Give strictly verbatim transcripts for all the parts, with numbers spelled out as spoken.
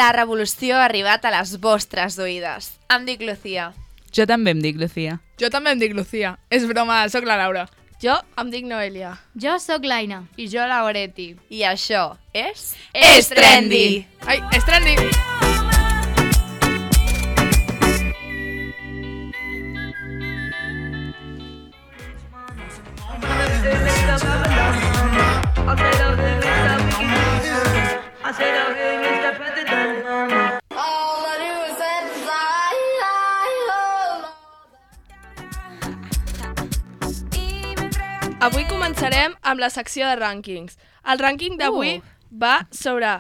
la revolució ha arribat a les vostres oïdes. Em dic Lucía. Jo també em dic Lucía. Jo també em dic Lucía. És broma, sóc la Laura. Jo em dic Noelia. Jo sóc l'Aina. I jo la Oreti. I això és... És trendy! Ai, és trendy! Avui començarem amb la secció de rànquings. El rànquing d'avui uh. va sobre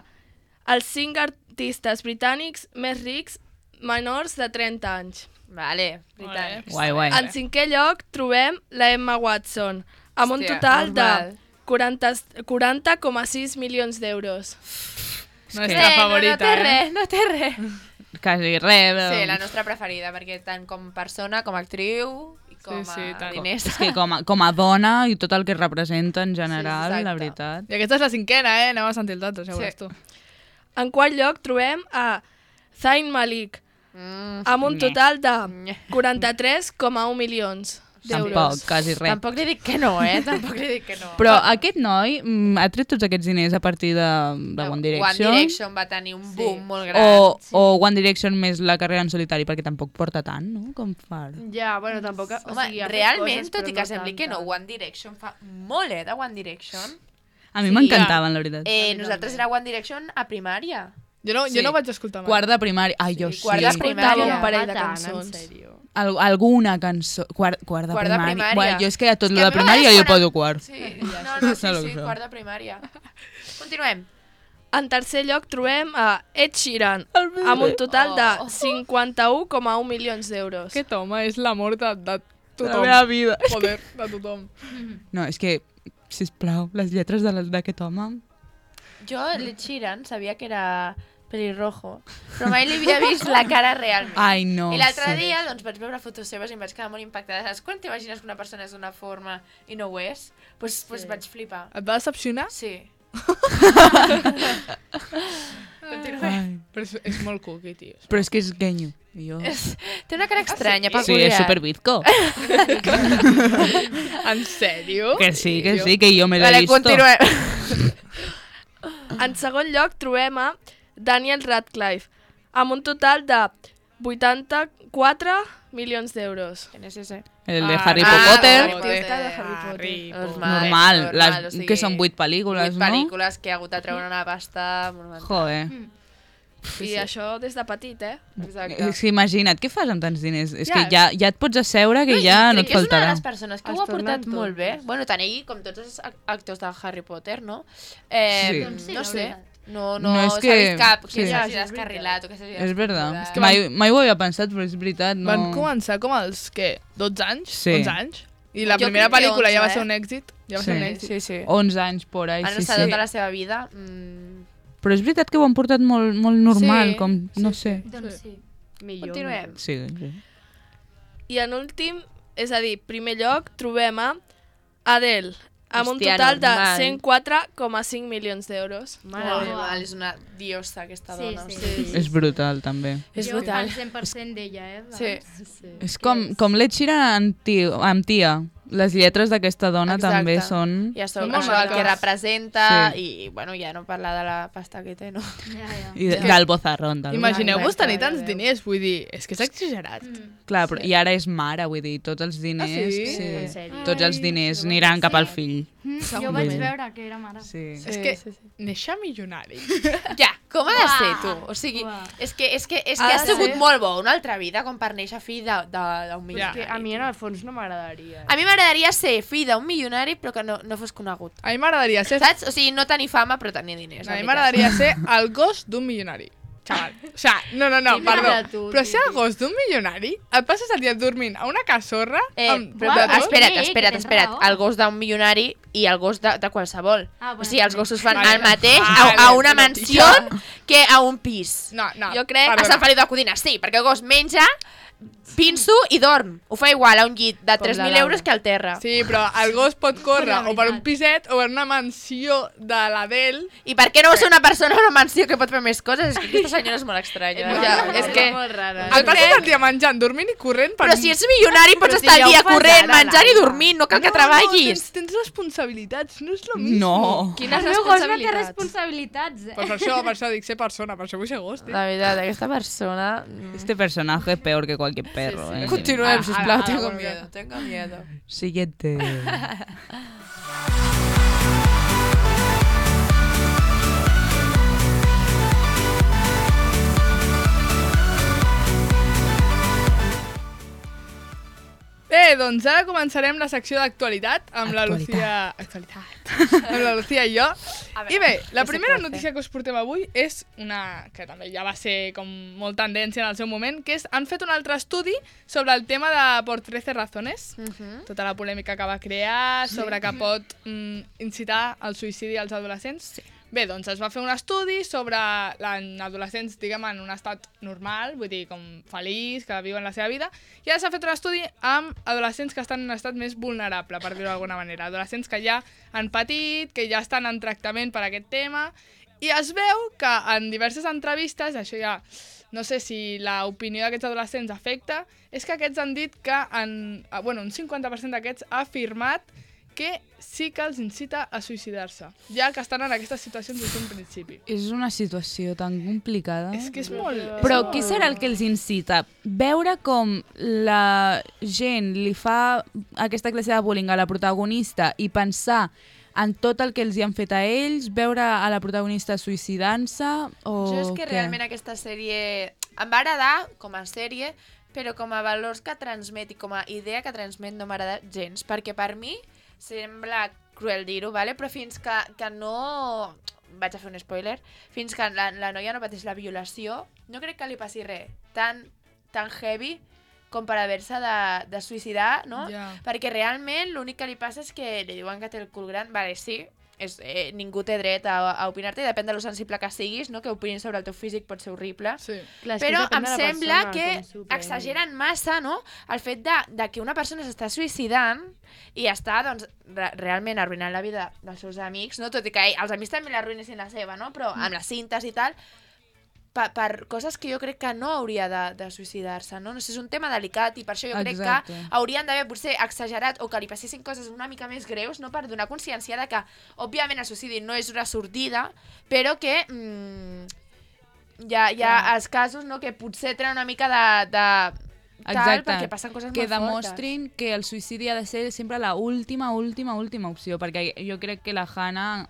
els cinc artistes britànics més rics menors de trenta anys. Vale, britànics. Guai, guai. En cinquè lloc trobem la Emma Watson, amb un Hòstia, total normal. de quaranta coma sis milions d'euros. Nostra favorita, no, no té eh? res, no té res. Quasi res. Sí, la nostra preferida, perquè tant com persona, com a actriu i com Sí, sí, a tant. diners. És que com a, com a dona i tot el que representa en general, Sí, exacte. la veritat. I aquesta és la cinquena, eh? Anem a sentir els altres, ja ho Sí. veuràs tu. En quart lloc trobem a Zayn Malik, Mm. amb un total de Nye. quaranta-tres coma un milions Tampoc, d'euros. quasi res. Tampoc li dic que no, eh? Tampoc li dic que no. Però aquest noi mm, ha tret tots aquests diners a partir de, de One Direction? One Direction va tenir un boom Sí. molt gran. O, o One Direction més la carrera en solitari, perquè tampoc porta tant, no? Com fa ara. Ja, bueno, tampoc... Home, o sigui, ha fet realment, coses, tot però i que no sembli tant, que no, tant. One Direction fa molt, eh, de One Direction. A mi Sí, m'encantaven, la veritat. Eh, nosaltres era One Direction a primària. Jo no, Sí. jo no vaig escoltar mai. Quart de primària. Ai, jo Sí, sí. quart de primària. Escoltava un parell de Va tant, cançons. en sèrio. Al, alguna cançó. Quart, quart de Quart de primària. primària. Bueno, jo és que a tot És lo que a de mi primària m'agrada jo quan- poso quart. Sí, no, no, sí, Saps sí, això? quart de primària. Continuem. En tercer lloc trobem a Ed Sheeran, amb un total de Oh. cinquanta-un coma un milions d'euros. Aquest home és l'amor de, de La tothom. meva vida. Joder, de tothom. No, és que, sisplau, les lletres de les- d'aquest home... Jo, l'Ed Sheeran, sabia que era pelirrojo, però mai li havia vist la cara realment. Ai, no. I l'altre sí. dia doncs, vaig veure fotos seves i em vaig quedar molt impactada. Saps quan t'imagines que una persona és d'una forma i no ho és? Doncs pues, pues vaig flipar. Et va decepcionar? Sí. Ai. Però és, és molt cookie, tio. Però és que és genyo. I jo... És, té una cara estranya, Sí, peculiar. és superbizco. En sèrio? Que sí, que sí, que jo me l'he Vale, visto. continuem. En segon lloc trobem a Daniel Radcliffe, amb un total de vuitanta-quatre milions d'euros. ¿Quién es ese? El de Ah, Harry ah, Potter. Harry Potter. L'artista de Harry Potter. Harry Normal, Normal, normal, les, o sigui, que són vuit pel·lícules, vuit no? pel·lícules que ha hagut de treure una pasta monumental. Joder. I això des de petit, eh? Exacte. És que imagina't, què fas amb tants diners? És Ja. que ja, ja et pots asseure que ja no Crec et que és una de faltarà. les persones que Es ho ha tornen portat molt bé. tontos. Bueno, tant ell com tots els ac- actors de Harry Potter, no? Eh, Sí. Doncs sí, no la sé. veritat. No, no, No, és s'ha que- vist cap que sí. s'hagi Ja, és descarrilat o que s'hagi És veritat. descontrolat. Mai, mai ho havia pensat, però és veritat. No... Van començar com als, què, dotze anys? Sí. onze anys? I la Jo primera crec que pel·lícula ja va onze, ser eh? un èxit. Ja va Sí. ser un èxit. Sí, sí. onze anys por ahí, Han sí, estat sí. tota la seva vida... Mm... Però és veritat que ho han portat molt, molt normal, Sí, com, no sí, sé. Doncs sí. Millor. Continuem. Sí, sí. I en últim, és a dir, primer lloc, trobem a Adele, amb un Hòstia, total de normal. cent quatre coma cinc milions d'euros. Mare Uau. meva, és una diosa aquesta Sí, dona. sí. Sí. És brutal, també. És jo brutal. fan cent per cent d'ella, eh? Sí. sí. És com, com l'Ed Sheeran amb, tio, amb tia. Les lletres d'aquesta dona Exacte. també són... I això, Són molt això el que maques. representa Sí. i, bueno, ja no parlar de la pasta que té, no? Ja, ja. I de, del bozarrón. Del... Imagineu-vos Exacte, tenir tants ja veu. diners, vull dir, és que és exagerat. Mm. Clar, però, i ara és mare, vull dir, tots els diners... Ah, sí? En sèrio? Tots els diners aniran cap al fill. Mm, jo Segur. vaig veure que era mare. Sí. És que néixer milionari. Ja, com ha de Uah. ser, tu? O sigui, Uah. és que, és que, és Ha que de has sigut ser. molt bo una altra vida com per néixer fill de- de- d'un Ja. milionari. Que a mi en el fons no m'agradaria. A mi m'agradaria ser fill d'un milionari però que no, no fos conegut. A mi m'agradaria ser... Saps? O sigui, no tenir fama però tenir diners. A mi la veritat. m'agradaria ser el gos d'un milionari. Xaval. O sea, no, no, no, Típica perdó. de tu, Però ser el típic. gos d'un milionari, et passes el dia dormint a una casorra Eh, amb... però, Uau, però, de tot? espera't, Sí, que espera't, tens espera't. raó. El gos d'un milionari i el gos de, de qualsevol. Ah, bueno, o sigui, els sí. gossos fan Vale. el mateix Vale, a, a una però, mansió tio. que a un pis. No, no, Jo crec- A perdona. Sant Feliu de Codines, sí, perquè el gos menja, pinso i dorm. Ho fa igual a un llit de tres mil la euros que al terra. Sí, però el gos pot córrer o per un piset o per una mansió de l'Adel. I per què no va ser una persona a una mansió que pot fer més coses? És que aquesta senyora és molt estranya. Ja, Ja, és que... molt rara. El passes el dia menjant, dormint i corrent per... Però si ets milionari pots Però si estar ja el ho dia fas corrent, ara, menjant i Laia. dormint, no cal que No, treballis. tens, tens responsabilitats, no és lo mismo. No. Quines El meu gos no té responsabilitats? responsabilitats, eh? Pues per això, per això dic ser persona, per això vull ser gos, tio. La veritat, aquesta persona... Este personaje es peor que cualquier perro. ¿eh? Continuem, Ah, sisplau, ah, tengo ah, miedo, tengo miedo. Siguiente. Bé, doncs ara començarem la secció d'actualitat amb la Lucía... Actualitat. amb la Lucía i jo. I bé, la primera notícia que us portem avui és una que també ja va ser com molt tendència en el seu moment, que és, han fet un altre estudi sobre el tema de Por trece razones, tota la polèmica que va crear sobre que pot mm, incitar al suïcidi als adolescents. Sí. Bé, doncs es va fer un estudi sobre adolescents, diguem, en un estat normal, vull dir, com feliç, que viuen la seva vida, i ara s'ha fet un estudi amb adolescents que estan en un estat més vulnerable, per dir-ho d'alguna manera. Adolescents que ja han patit, que ja estan en tractament per aquest tema, i es veu que en diverses entrevistes, això ja no sé si l'opinió d'aquests adolescents afecta, és que aquests han dit que en, bueno, un cinquanta per cent d'aquests ha afirmat que sí que els incita a suïcidar-se, ja que estan en aquestes situacions des d'un principi. És una situació tan complicada. És que és molt... Però què serà el que els incita? Veure com la gent li fa aquesta classe de bullying a la protagonista i pensar en tot el que els hi han fet a ells, veure a la protagonista suïcidant-se o Jo és que què? realment aquesta sèrie em va agradar com a sèrie, però com a valors que transmet i com a idea que transmet no m'agrada gens, perquè per mi sembla cruel dir-ho, vale? Però fins que, que no... Vaig a fer un spoiler. Fins que la, la noia no pateix la violació, no crec que li passi res tan, tan heavy com per haver-se de, de suïcidar, no? Ja. Perquè realment l'únic que li passa és que li diuen que té el cul gran. Vale, sí, és, eh, ningú té dret a, a opinar-te i depèn de lo sensible que siguis, no? Que opinin sobre el teu físic pot ser horrible. Sí. Clar, és que Però depèn em de la sembla persona, que com s'ho prengui. exageren massa, no?, el fet de, de que una persona s'està suïcidant i està, doncs, re realment arruïnant la vida dels seus amics, no?, tot i que ell, els amics també l'arruïnessin la seva, no?, però amb les cintes i tal, per, per coses que jo crec que no hauria de, de suïcidar-se, no? No sé, és un tema delicat i per això jo crec Exacte. que haurien d'haver potser exagerat o que li passessin coses una mica més greus, no?, per donar consciència de que, òbviament, el suïcidi no és una sortida, però que mm, hi ha, hi ha els casos, no?, que potser tenen una mica de... de tal, Exacte, perquè passen coses que molt fortes. demostrin que el suïcidi ha de ser sempre la última, última, última opció, perquè jo crec que la Hannah,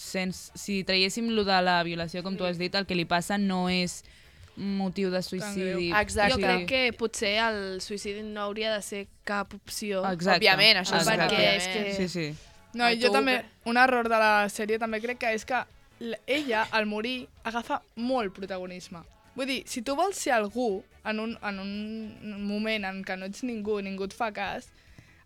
sens, si traiéssim lo de la violació, com tu has dit, el que li passa no és motiu de suïcidi. Exacte. Jo crec que potser el suïcidi no hauria de ser cap opció. Exacte. Òbviament, això és Exacte. perquè és que... Sí, sí. No, i No, jo tu, també, que- un error de la sèrie també crec que és que l- ella, al morir, agafa molt protagonisme. Vull dir, si tu vols ser algú en un, en un moment en què no ets ningú i ningú et fa cas,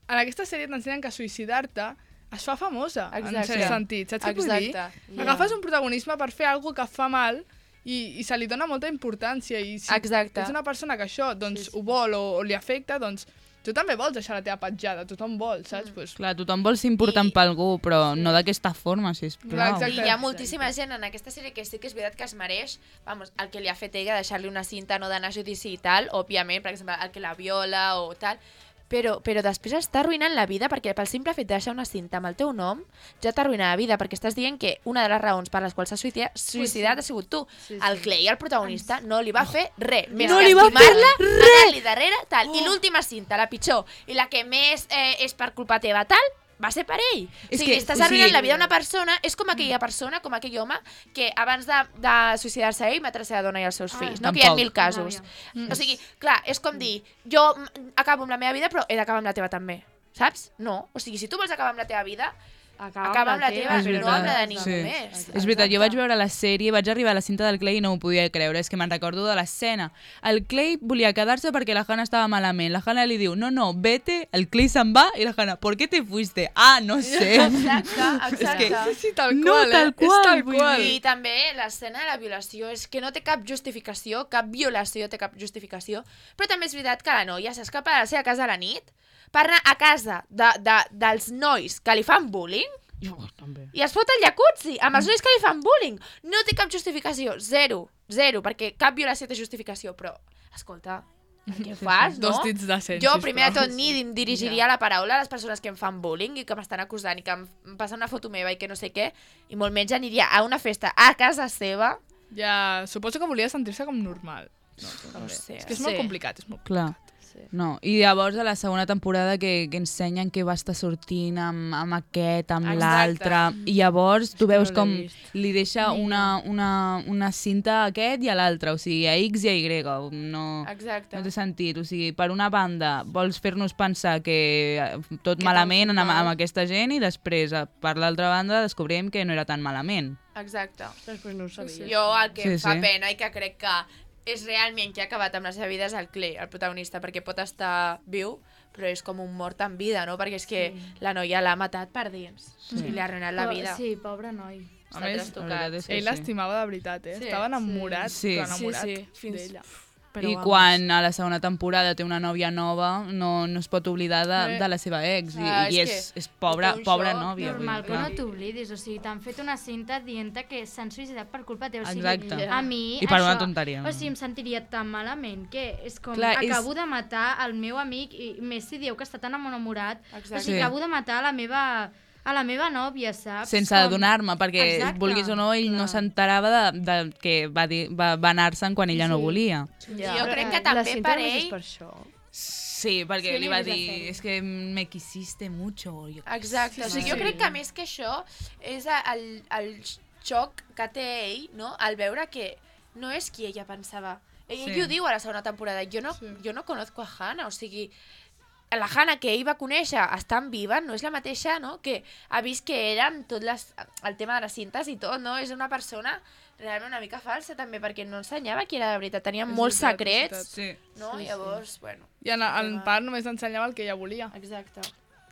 en aquesta sèrie t'ensenyen que suïcidar-te es fa famosa, en Exacte. cert sentit. Saps què vull dir? Exacte. Agafes un protagonisme per fer alguna que fa mal i, i se li dona molta importància. I si Exacte. ets una persona que això doncs, ho vol o, o li afecta, doncs tu també vols deixar la teva petjada, tothom vol, saps? Mm. Pues, Clar, tothom vol ser important I- per algú, però no d'aquesta forma, sisplau. Clar, I exacte. hi ha moltíssima gent en aquesta sèrie que sí que és veritat que es mereix, vamos, el que li ha fet ella, deixar-li una cinta, no d'anar a judici i tal, òbviament, per exemple, el que la viola o tal, però, però després està arruïnant la vida perquè pel simple fet de deixar una cinta amb el teu nom ja t'arruïna la vida, perquè estàs dient que una de les raons per les quals s'ha suïcidat, suïcidat ha sigut tu. Sí, sí. El Clay, el protagonista, no li va fer res, més No que li va fer estimar-la, anar-li darrere, tal. I l'última cinta, la pitjor, i la que més eh, és per culpa teva, tal, va ser per ell. És o sigui, que- estàs o arruïnant sigui- la vida d'una persona, és com aquella persona, com aquell home, que abans de, de suïcidar-se ell mata la seva dona i els seus fills, no? Que hi ha tampoc. mil casos. Mm. O sigui, clar, és com dir, jo mm, acabo amb la meva vida, però he d'acabar amb la teva també, saps? No. O sigui, si tu vols acabar amb la teva vida, Acaba, Acaba amb la teva, És no veritat. amb la de ningú Sí. més. És veritat, jo vaig veure la sèrie, vaig arribar a la cinta del Clay i no m'ho podia creure, és que me'n recordo de l'escena. El Clay volia quedar-se perquè la Hannah estava malament. La Hannah li diu, no, no, vete, el Clay se'n va i la Hannah, ¿por qué te fuiste? Ah, no sé. Exacte, exacte. Sí, sí, tal No, qual, tal eh? qual, És tal vull qual. I també l'escena de la violació és que no té cap justificació, cap violació té cap justificació, però també és veritat que la noia s'escapa de la seva casa a la nit per anar a casa de, de, dels nois que li fan bullying i es fot al jacuzzi amb els nois que li fan bullying. No té cap justificació, zero, zero, perquè cap violació té justificació, però, escolta, què fas, no? Dos dits de cent, Jo, primer de sisplau. tot, ni em dirigiria la paraula a les persones que em fan bullying i que m'estan acusant i que em passen una foto meva i que no sé què, i molt menys aniria a una festa a casa seva. Ja, suposo que volia sentir-se com normal. No, No també. sé. És que és molt Sí. complicat, és molt Clar. No, i llavors a la segona temporada que, que ensenyen que va estar sortint amb, amb aquest, amb Exacte. l'altre, i llavors tu veus no l'he com vist. li deixa una, una, una cinta a aquest i a l'altre, o sigui, a X i a Y, no, Exacte. no té sentit, o sigui, per una banda vols fer-nos pensar que eh, tot Que malament tan amb, mal. amb aquesta gent i després, eh, per l'altra banda, descobrim que no era tan malament. Exacte. Després no ho sabia. Jo el que Sí, em fa sí. pena i que crec que és realment que ha acabat amb la seva vida és el Clay, el protagonista, perquè pot estar viu, però és com un mort en vida, no? Perquè és que sí. la noia l'ha matat per dins sí. i li ha arruïnat la vida. Sí, pobre noi. A Està més, trastocat. la veritat és que Ell sí. l'estimava de veritat, eh? Sí, Estava enamorat, sí. però enamorat Sí, sí, fins- d'ella. Però I vamos. quan a la segona temporada té una nòvia nova, no, no es pot oblidar de, Eh. de la seva ex. I, Ah, i és és, que és pobra, té un pobra xoc nòvia. vull Normal dir, que clar. no t'oblidis, o sigui, t'han fet una cinta dient que s'han suïcidat per culpa teva. O sigui, Exacte. a mi I per això, una tonteria. O sigui, em sentiria tan malament que és com, Clar, és- acabo de matar el meu amic, i més si dieu que està tan enamorat, Exacte. o sigui, Sí. acabo de matar a la meva, a la meva nòvia, saps? Sense Com- adonar-me, perquè Exacte, vulguis o no, ell no clar. s'enterava de, de que va, dir, va, va anar-se'n quan ella no Sí. volia. Ja. Jo crec que La també cinta per només és ell... per això. Sí, perquè Sí, li l'he va vist la dir, sèrie. és que me quisiste mucho. Jo... Exacte, o sigui, jo Sí. crec que més que això és el, el xoc que té ell, no?, al veure que no és qui ella pensava. Ell, Sí. ell ho diu a la segona temporada, jo no, Sí. jo no conozco a Hannah, o sigui, la Hannah que ell va conèixer estant viva no és la mateixa, no?, que ha vist que eren tot les, el tema de les cintes i tot, no? És una persona realment una mica falsa també, perquè no ensenyava qui era de veritat, tenia És molts veritat, és secrets, Sí. no? Llavors, bueno, I en, en part només ensenyava el que ella volia. exacte.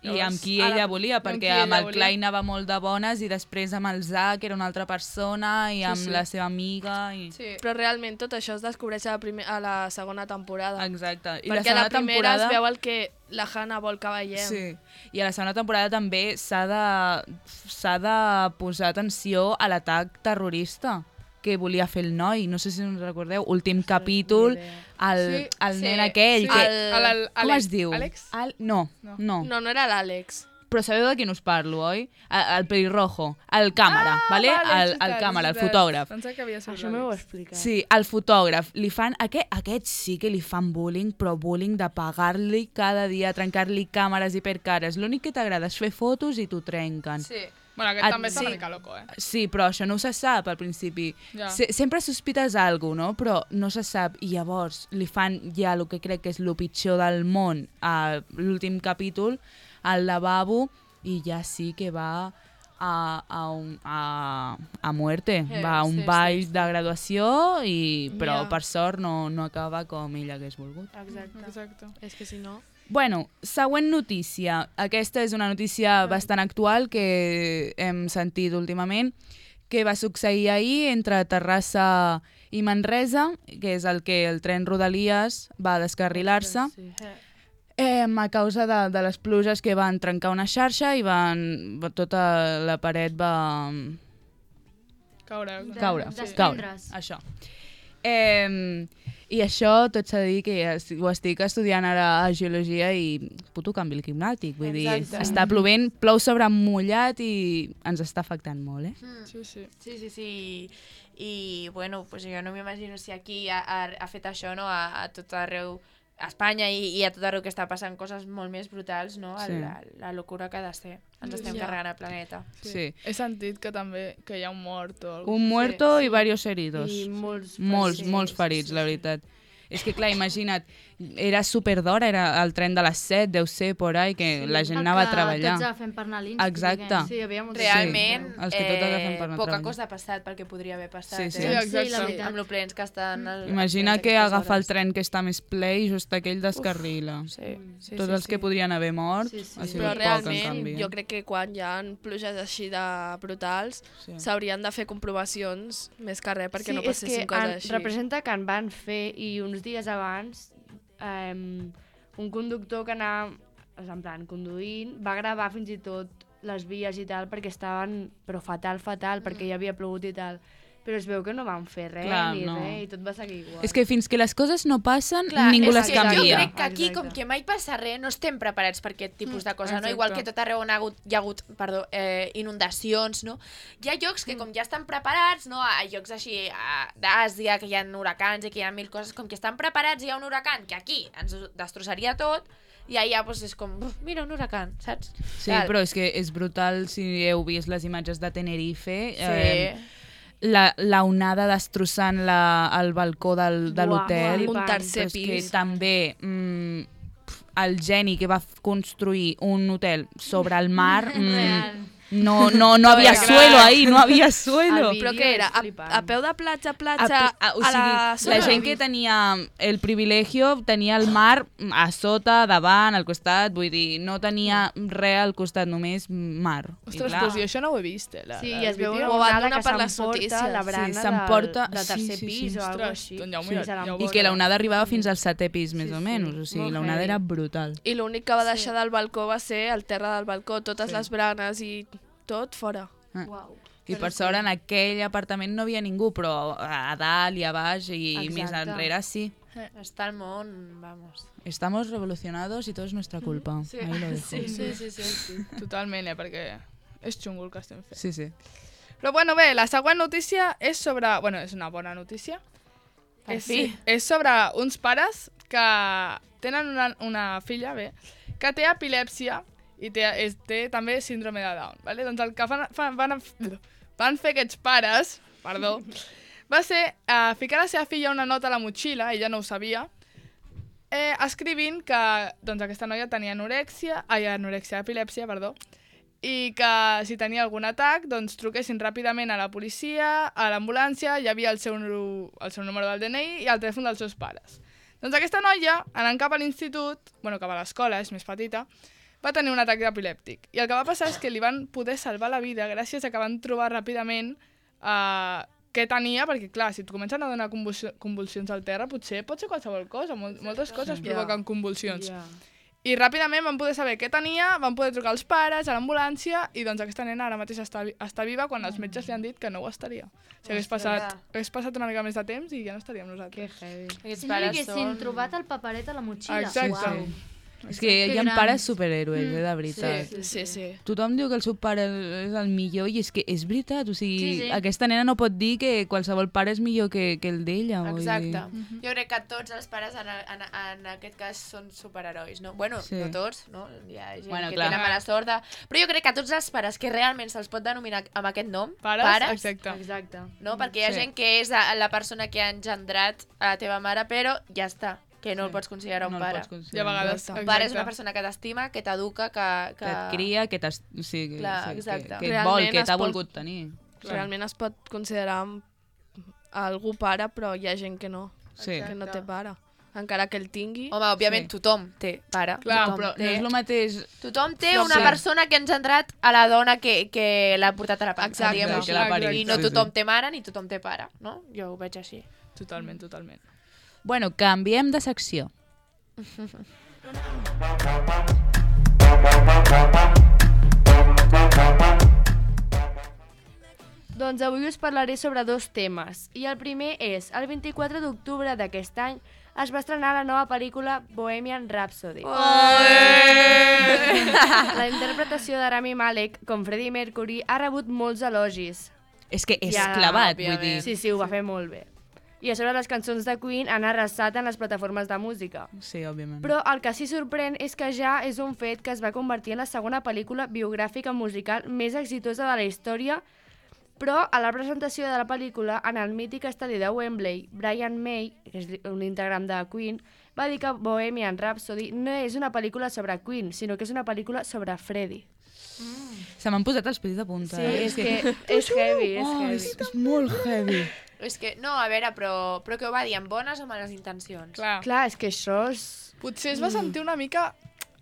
I amb qui Ara- ella volia, amb perquè qui amb ella el volia. Clay anava molt de bones i després amb el Zac era una altra persona i amb sí. la seva amiga. I... Sí. Però realment tot això es descobreix a la, primer, a la segona temporada. Exacte. I Perquè a la segona primera temporada... es veu el que la Hannah vol que veiem. Sí, i a la segona temporada també s'ha de, s'ha de posar atenció a l'atac terrorista que volia fer el noi, no sé si us recordeu, últim capítol, el, Sí, el sí, nen aquell, sí. que... El- el- el- com Àlex- es diu? Àlex? Al, no, No. no, No, no era l'Àlex. Però sabeu de quin us parlo, oi? El, el pelirrojo, el càmera, vale? és El, el veritat, càmera, és el veritat. fotògraf. Pensava que havia sigut Això m'ho heu l'Àlex. explicat. Sí, el fotògraf. Li fan... Aquest, aquest sí que li fan bullying, però bullying de pagar-li cada dia, trencar-li càmeres hipercares. L'únic que t'agrada és fer fotos i t'ho trenquen. Sí. Bueno, aquest Ah, també està sí. una mica loco, eh? Sí, però això no se sap al principi. Ja. Se sempre sospites alguna cosa, no? Però no se sap. I llavors li fan ja el que crec que és el pitjor del món a l'últim capítol, al lavabo, i ja sí que va a, a, un, a, a muerte. Eh, Va a un sí, ball sí, sí. de graduació, i, però Ja. per sort no, no acaba com ell hagués volgut. Exacte. Exacte. És que si no... Bueno, següent notícia. Aquesta és una notícia bastant actual que hem sentit últimament, que va succeir ahir entre Terrassa i Manresa, que és el que el tren Rodalies va descarrilar-se, Sí. eh, a causa de, de les pluges que van trencar una xarxa i van, tota la paret va Caure. De- caure. desprendre's. caure. Això. Eh, I això tot s'ha de dir que es- ho estic estudiant ara a Geologia i puto canvi climàtic. Vull dir, Exacte. està plovent, plou sobre mullat i ens està afectant molt, eh? Mm. Sí, sí. Sí, sí, sí. I, bueno, pues jo no m'imagino si aquí ha, ha, ha fet això, no?, a, a tot arreu, a Espanya i, i a tot arreu que està passant coses molt més brutals, no?, Sí. la, la locura que ha de ser. Ens estem Ja. carregant el planeta. Sí. He sentit que també que hi ha un mort o alguna Un muerto i varios heridos. I molts... Molts, sí, molts sí, ferits, sí, la sí. veritat. És que, clar, imagina't, era super d'hora, era el tren de les set, deu ser por ahí, que la gent anava a treballar. Tots agafem per anar a l'Institut. Exacte. Sí, hi havia molts Realment, Sí, els que tot agafen per eh, anar a poca treballar. cosa ha passat pel que podria haver passat. Sí, sí. Eh? Sí, exacte. Sí, la veritat. Amb lo plens que estan... El, Imagina els que trens agafa el aquestes tren que està més ple i just aquell descarrila. hores. Sí, sí, Tots sí, els sí. que podrien haver mort Sí, sí. ha sigut Però poc, en realment, canvi. jo crec que quan hi ha pluges així de brutals, Sí. s'haurien de fer comprovacions més que res perquè sí, no és passessin que coses en, així. representa que en van fer i uns dies abans um, un conductor que anava en plan, conduint va gravar fins i tot les vies i tal perquè estaven, però fatal, fatal, Mm. perquè hi havia plogut i tal. Però es veu que no van fer res, Clar, ni no. res, i tot va seguir igual. És que fins que les coses no passen, Clar, ningú és les que canvia. Jo crec que aquí, Exacte. com que mai passa res, no estem preparats per aquest tipus de cosa, no? exacte. Igual que tot arreu on ha hagut, hi ha hagut perdó, eh, inundacions, no? Hi ha llocs que com ja estan preparats, no? A llocs així a- d'Àsia, que hi ha huracans i que hi ha mil coses, com que estan preparats, hi ha un huracan que aquí ens destrossaria tot, i allà doncs, és com, "Uf, mira, un huracan, saps? Sí, Tal. però és que és brutal si heu vist les imatges de Tenerife. Sí. Eh, la, la onada destrossant la, el balcó del, de Buah, l'hotel. buah, Un tercer Però és que pis. també mm, pf, el geni que va f- construir un hotel sobre el mar, mm, Real. no, no, no havia clar. suelo ahí, no havia suelo. El Però vídeo què era? és A, flipant. a peu de platja a A, platja a, a, o a sigui, la la zona? gent que tenia el privilegio tenia el mar a sota, davant, al costat, vull dir, no tenia res al costat, només mar. I Ostres, clar, doncs jo això no ho he vist, eh? La, Sí, el i es veu vídeo. una Ho van onada donar que per les s'emporta notícies. la Sí, brana s'emporta- del, del sí, tercer sí, pis sí. o alguna Ostres, així. doncs ja ho Sí, mira- se l'han ja ho I portat. que la onada arribava fins al setè pis, més Sí, o sí. menys. O sigui, Molt la onada heavy. era brutal. I l'únic que va deixar del balcó va ser el terra del balcó, totes Sí. les branes i tot fora. Uau. I per sort en aquell apartament no havia ningú, però a dalt i a baix i Exacte. més enrere sí. Està el món, vamos. Estamos revolucionados y todo es nuestra culpa. Sí. Ahí lo dejo. Sí, sí, sí, sí. sí. Totalment, eh? Perquè és xungo el que estem fent. Sí, sí. Però bueno, bé, la següent notícia és sobre... Bueno, és una bona notícia. Per és, fi. és sobre uns pares que tenen una, una filla, bé, que té epilèpsia i té, és, té també síndrome de Down. Vale? Doncs el que fan, fan, van, van fer aquests pares, perdó, va ser uh, ficar a la seva filla una nota a la motxilla, ella no ho sabia, eh, escrivint que doncs, aquesta noia tenia anorèxia, ai, anorèxia, epilèpsia, perdó, i que si tenia algun atac, doncs truquessin ràpidament a la policia, a l'ambulància, hi havia el seu, nu- el seu número del D N I i el telèfon dels seus pares. Doncs aquesta noia, anant cap a l'institut, bueno, cap a l'escola, és més petita, va tenir un atac epilèptic. I el que va passar és que li van poder salvar la vida gràcies a que van trobar ràpidament eh, què tenia, perquè clar, si et comencen a donar convulsi- convulsions al terra, potser pot ser qualsevol cosa, mol moltes coses Ja. provoquen convulsions. Ja. I ràpidament van poder saber què tenia, van poder trucar als pares, a l'ambulància, i doncs aquesta nena ara mateix està, vi- està viva quan els metges li han dit que no ho estaria. O sigui, hagués passat, hagués passat una mica més de temps i ja no estaríem Que nosaltres. heavy. Aquests Si no li pares haguessin són... trobat el paperet a la motxilla. Exacte. Uau. És que Que hi ha grans. pares superhéroes, eh, de veritat. Sí, sí, sí. Tothom diu que el seu pare és el millor i és que és veritat, o sigui, Sí, sí. aquesta nena no pot dir que qualsevol pare és millor que, que el d'ella. vull Exacte. dir. Jo crec que tots els pares en, en, en aquest cas són superherois, no? Bueno, Sí. no tots, no? Hi ha gent Bueno, que clar. tenen mala sort, de... però jo crec que tots els pares que realment se'ls pot denominar amb aquest nom, Pares? pares Exacte. Exacte. no? Perquè hi ha Sí. gent que és la la persona que ha engendrat a la teva mare, però ja està, que no Sí. el pots considerar un No el pare. pots I a considerar. vegades... Un pare és una exacte. persona que t'estima, que t'educa, que, Que et cria, que, t'es- o sigui, Clar, sí, exacte. que, que et vol, Realment que es t'ha pot- volgut tenir. Realment es pot considerar algú pare, però hi ha gent que no, Sí. que no té pare. Encara que el tingui. Home, òbviament, Sí. tothom té pare. Clar, tothom Però té... no és el mateix... Tothom té No una sé. persona que ha engendrat a la dona que, que l'ha portat a la panxa, Exacte, diguem-ho que així. l'ha parit, I no sí, tothom sí. té mare ni tothom té pare, no? Jo ho veig així. Totalment, totalment. Bueno, canviem de secció. Doncs avui us parlaré sobre dos temes. I el primer és, el vint-i-quatre d'octubre d'aquest any es va estrenar la nova pel·lícula Bohemian Rhapsody. La interpretació de Rami Malek com Freddie Mercury ha rebut molts elogis. És que és Ja, clavat, vull òbviament. dir. Sí, sí, ho va fer molt bé. I a sobre les cançons de Queen han arrasat en les plataformes de música. Sí, òbviament. Però el que sí sorprèn és que ja és un fet que es va convertir en la segona pel·lícula biogràfica musical més exitosa de la història, però a la presentació de la pel·lícula, en el mític estadi de Wembley, Brian May, que és un integrant de Queen, va dir que Bohemian Rhapsody no és una pel·lícula sobre Queen, sinó que és una pel·lícula sobre Freddie. Se m'han posat els pells de punta. Sí, eh? és que és heavy, és Oh, heavy. és, és molt heavy. És que, no, a veure, però, però que ho va dir amb bones o males intencions? Clar. Clar, és que això és... Potser es va sentir una mica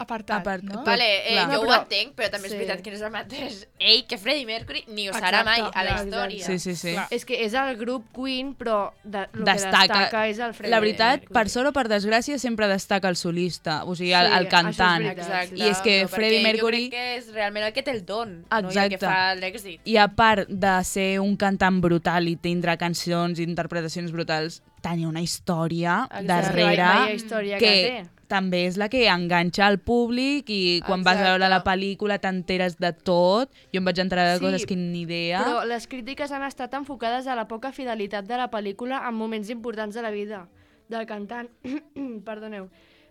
apartat, Apart- no? tot. Vale, eh, clar. jo No, ho però- entenc, però també és sí. veritat que no és el mateix ell que Freddie Mercury, ni ho serà Exacte, mai a la clar, història. Sí, sí, sí. Clar. És que és el grup Queen, però de, el Destaca. que destaca és el Freddie La veritat, Mercury. per sort o per desgràcia, sempre destaca el solista, o sigui, el, Sí, el cantant. això és veritat. Exacte. I és que però Freddie perquè Mercury- Jo crec que és realment el que té el don, no? I el Exacte. que fa l'èxit. I a part de ser un cantant brutal i tindre cançons i interpretacions brutals, tenia una història Exacte. darrere Vaya història que, que té. també és la que enganxa al públic i quan vas a Exacte. veure la pel·lícula t'enteres de tot. Jo em vaig enterar de Sí, coses que ni idea. Però les crítiques han estat enfocades a la poca fidelitat de la pel·lícula en moments importants de la vida del cantant. Perdoneu.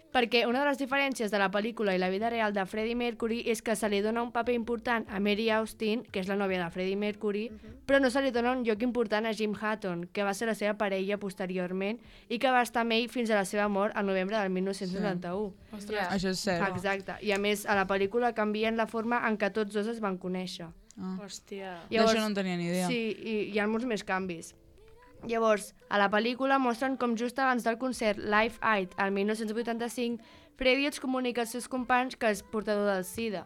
Perquè una de les diferències de la pel·lícula i la vida real de Freddie Mercury és que se li dona un paper important a Mary Austin, que és la nòvia de Freddie Mercury, però no se li dona un lloc important a Jim Hutton, que va ser la seva parella posteriorment i que va estar amb ell fins a la seva mort al novembre del mil nou-cents noranta-u. Ostres. Ja. Això és cert. Exacte. I a més, a la pel·lícula canvien la forma en què tots dos es van conèixer. Ah. Hòstia. D'això no en tenia ni idea. Sí, i hi ha molts més canvis. Llavors, a la pel·lícula mostren com just abans del concert Live Aid, al mil nou-cents vuitanta-cinc, Freddie es comunica als seus companys que és portador del SIDA.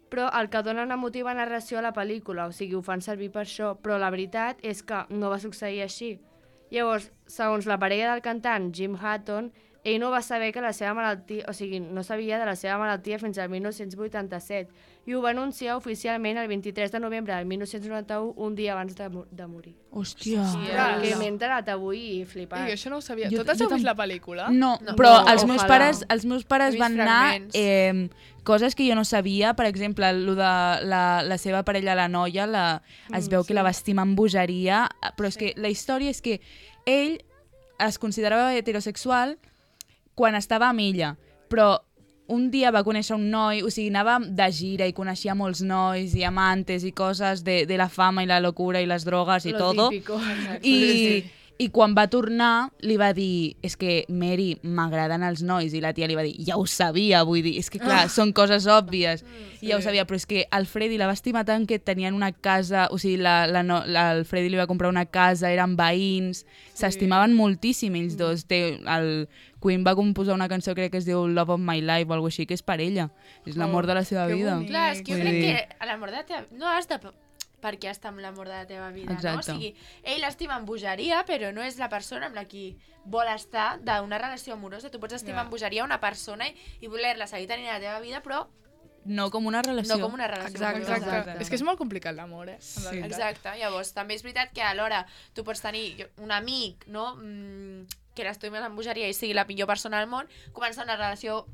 Però el que dona una emotiva narració a la pel·lícula, o sigui, ho fan servir per això, però la veritat és que no va succeir així. Llavors, segons la parella del cantant, Jim Hutton, ell no va saber que la seva malaltia, o sigui, no sabia de la seva malaltia fins al mil nou-cents vuitanta-set i ho va anunciar oficialment el vint-i-tres de novembre del mil nou-cents noranta-u, un dia abans de, mo- de morir. Hòstia. Clar, que m'he enterat avui i flipat. Ei, això no ho sabia. Jo- Totes jo heu vist tam- la pel·lícula? No, No. però No, els, meus ojalà. pares, els meus pares He vist van anar fragments. eh, coses que jo no sabia, per exemple, lo de la, la seva parella, la noia, la, es Mm, veu sí. que la va estimar amb bogeria, però és que la història és que ell es considerava heterosexual quan estava amb ella, però un dia va conèixer un noi, o sigui, anava de gira i coneixia molts nois i amantes i coses de, de la fama i la locura i les drogues i Lo todo. típico. I, I quan va tornar, li va dir, és que, Mary, m'agraden els nois. I la tia li va dir, ja ho sabia, vull dir, és que clar, són coses òbvies. I ja ho sabia, però és que el Freddy la va estimar tant que tenien una casa, o sigui, la, la, no, la, el Freddy li va comprar una casa, eren veïns, s'estimaven moltíssim ells dos. Té, el Queen va composar una cançó, crec que es diu Love of My Life o alguna cosa així, que és per ella. És l'amor de la seva que vida. bonic. Clar, és que jo Vull crec dir- que a l'amor de la teva... No has de... Per què està amb l'amor de la teva vida, Exacte. no? O sigui, ell l'estima amb bogeria, però no és la persona amb la qui vol estar d'una relació amorosa. Tu pots estimar Ja. amb bogeria una persona i, i voler-la seguir tenint a la teva vida, però No com una relació. no com una relació Exacte, amorosa. exacte. Exacte. És que és molt complicat l'amor, eh? En realitat. Exacte, llavors també és veritat que alhora tu pots tenir jo- un amic, no?, mm, que l'estimes amb bogeria i sigui la millor persona del món, començar una relació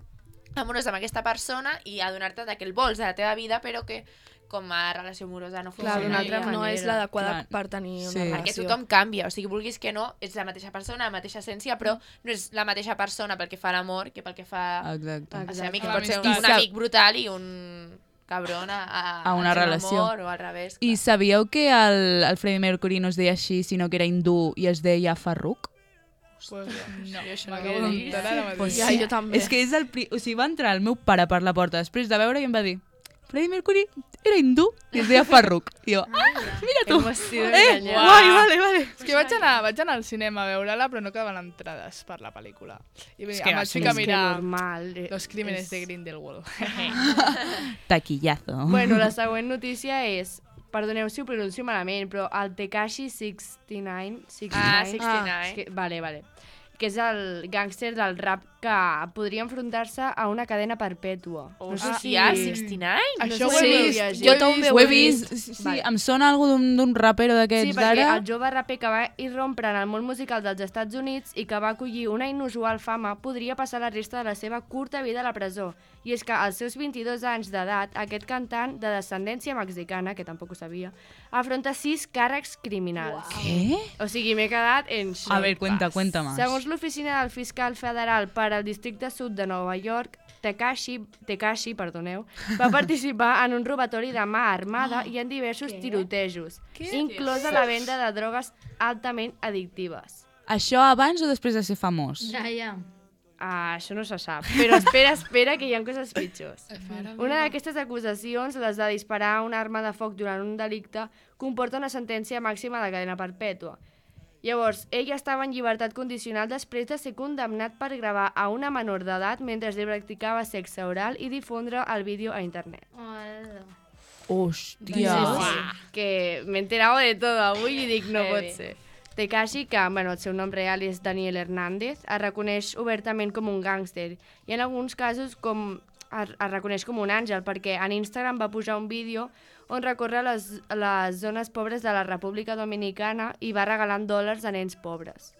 amorosa amb aquesta persona i adonar-te de que el vols de la teva vida, però que com a relació amorosa no Clar, funciona. d'una altra no manera. és l'adequada Clar. per tenir una Sí. Perquè relació. tothom canvia, o sigui, vulguis que no, ets la mateixa persona, la mateixa essència, però no és la mateixa persona pel que fa a l'amor que pel que fa Exacte. a ser amic, que A pot ser un, l'amistat. un amic brutal i un cabron a, a, A una al seu relació. amor, o al revés. I clar. sabíeu que el, el Freddie Mercury no es deia així, sinó que era hindú i es deia Farrukh? Pues, no, Jo això no m'acabo ho he d'enterar ara mateix. Pues Ja, sí. jo també. És que és el... Pri... O sigui, va entrar el meu pare per la porta després de veure i em va dir Freddie Mercury era hindú i es deia Farrukh. I jo, ah, mira tu. Eh, Uau. guai, vale, vale. És que vaig anar, vaig anar al cinema a veure-la, però no quedaven entrades per la pel·lícula. I És és que em va vaig ser- ficar a És que mirar normal. eh, Los crímenes és- de Grindelwald. Taquillazo. Bueno, la següent notícia és, perdoneu si ho pronuncio malament, però el Tekashi seixanta-nou... Ah, seixanta-nou seixanta-nou. és que, vale, vale. Que és el gàngster del rap que podria enfrontar-se a una cadena perpètua. No sé si... Hòstia, seixanta-nou? Això ho sé he si vist. llegir. Jo Jo també Ho he vist, sí, sí, Vale. em sona algo d'un d'un rapero Sí, d'aquests perquè d'ara. el jove raper que va irrompre en el món musical dels Estats Units i que va acollir una inusual fama podria passar la resta de la seva curta vida a la presó. I és que als seus vint-i-dos anys d'edat, aquest cantant de descendència mexicana, que tampoc ho sabia, afronta sis càrrecs criminals. Què? O sigui, m'he quedat en xoc. A ver, cuenta, cuenta más. Segons l'oficina del fiscal federal per al districte sud de Nova York, Tekashi, Tekashi perdoneu, va participar en un robatori de mà armada i en diversos tirotejos, inclosa la venda de drogues altament addictives. Això abans o després de ser famós? Ja, ja. Uh, això no se sap, però espera, espera, que hi ha coses pitjors. Una d'aquestes acusacions, les de disparar una arma de foc durant un delicte, comporta una sentència màxima de cadena perpètua. Llavors, ell estava en llibertat condicional després de ser condemnat per gravar a una menor d'edat mentre li practicava sexe oral i difondre el vídeo a internet. Hola. Hòstia. Sí, sí. Que m'he enterado de tot avui i dic, no pot ser. Tekashi, que bueno, el seu nom real és Daniel Hernández, es reconeix obertament com un gàngster i en alguns casos com es, es reconeix com un àngel, perquè en Instagram va pujar un vídeo on recorre les, les zones pobres de la República Dominicana i va regalant dòlars a nens pobres.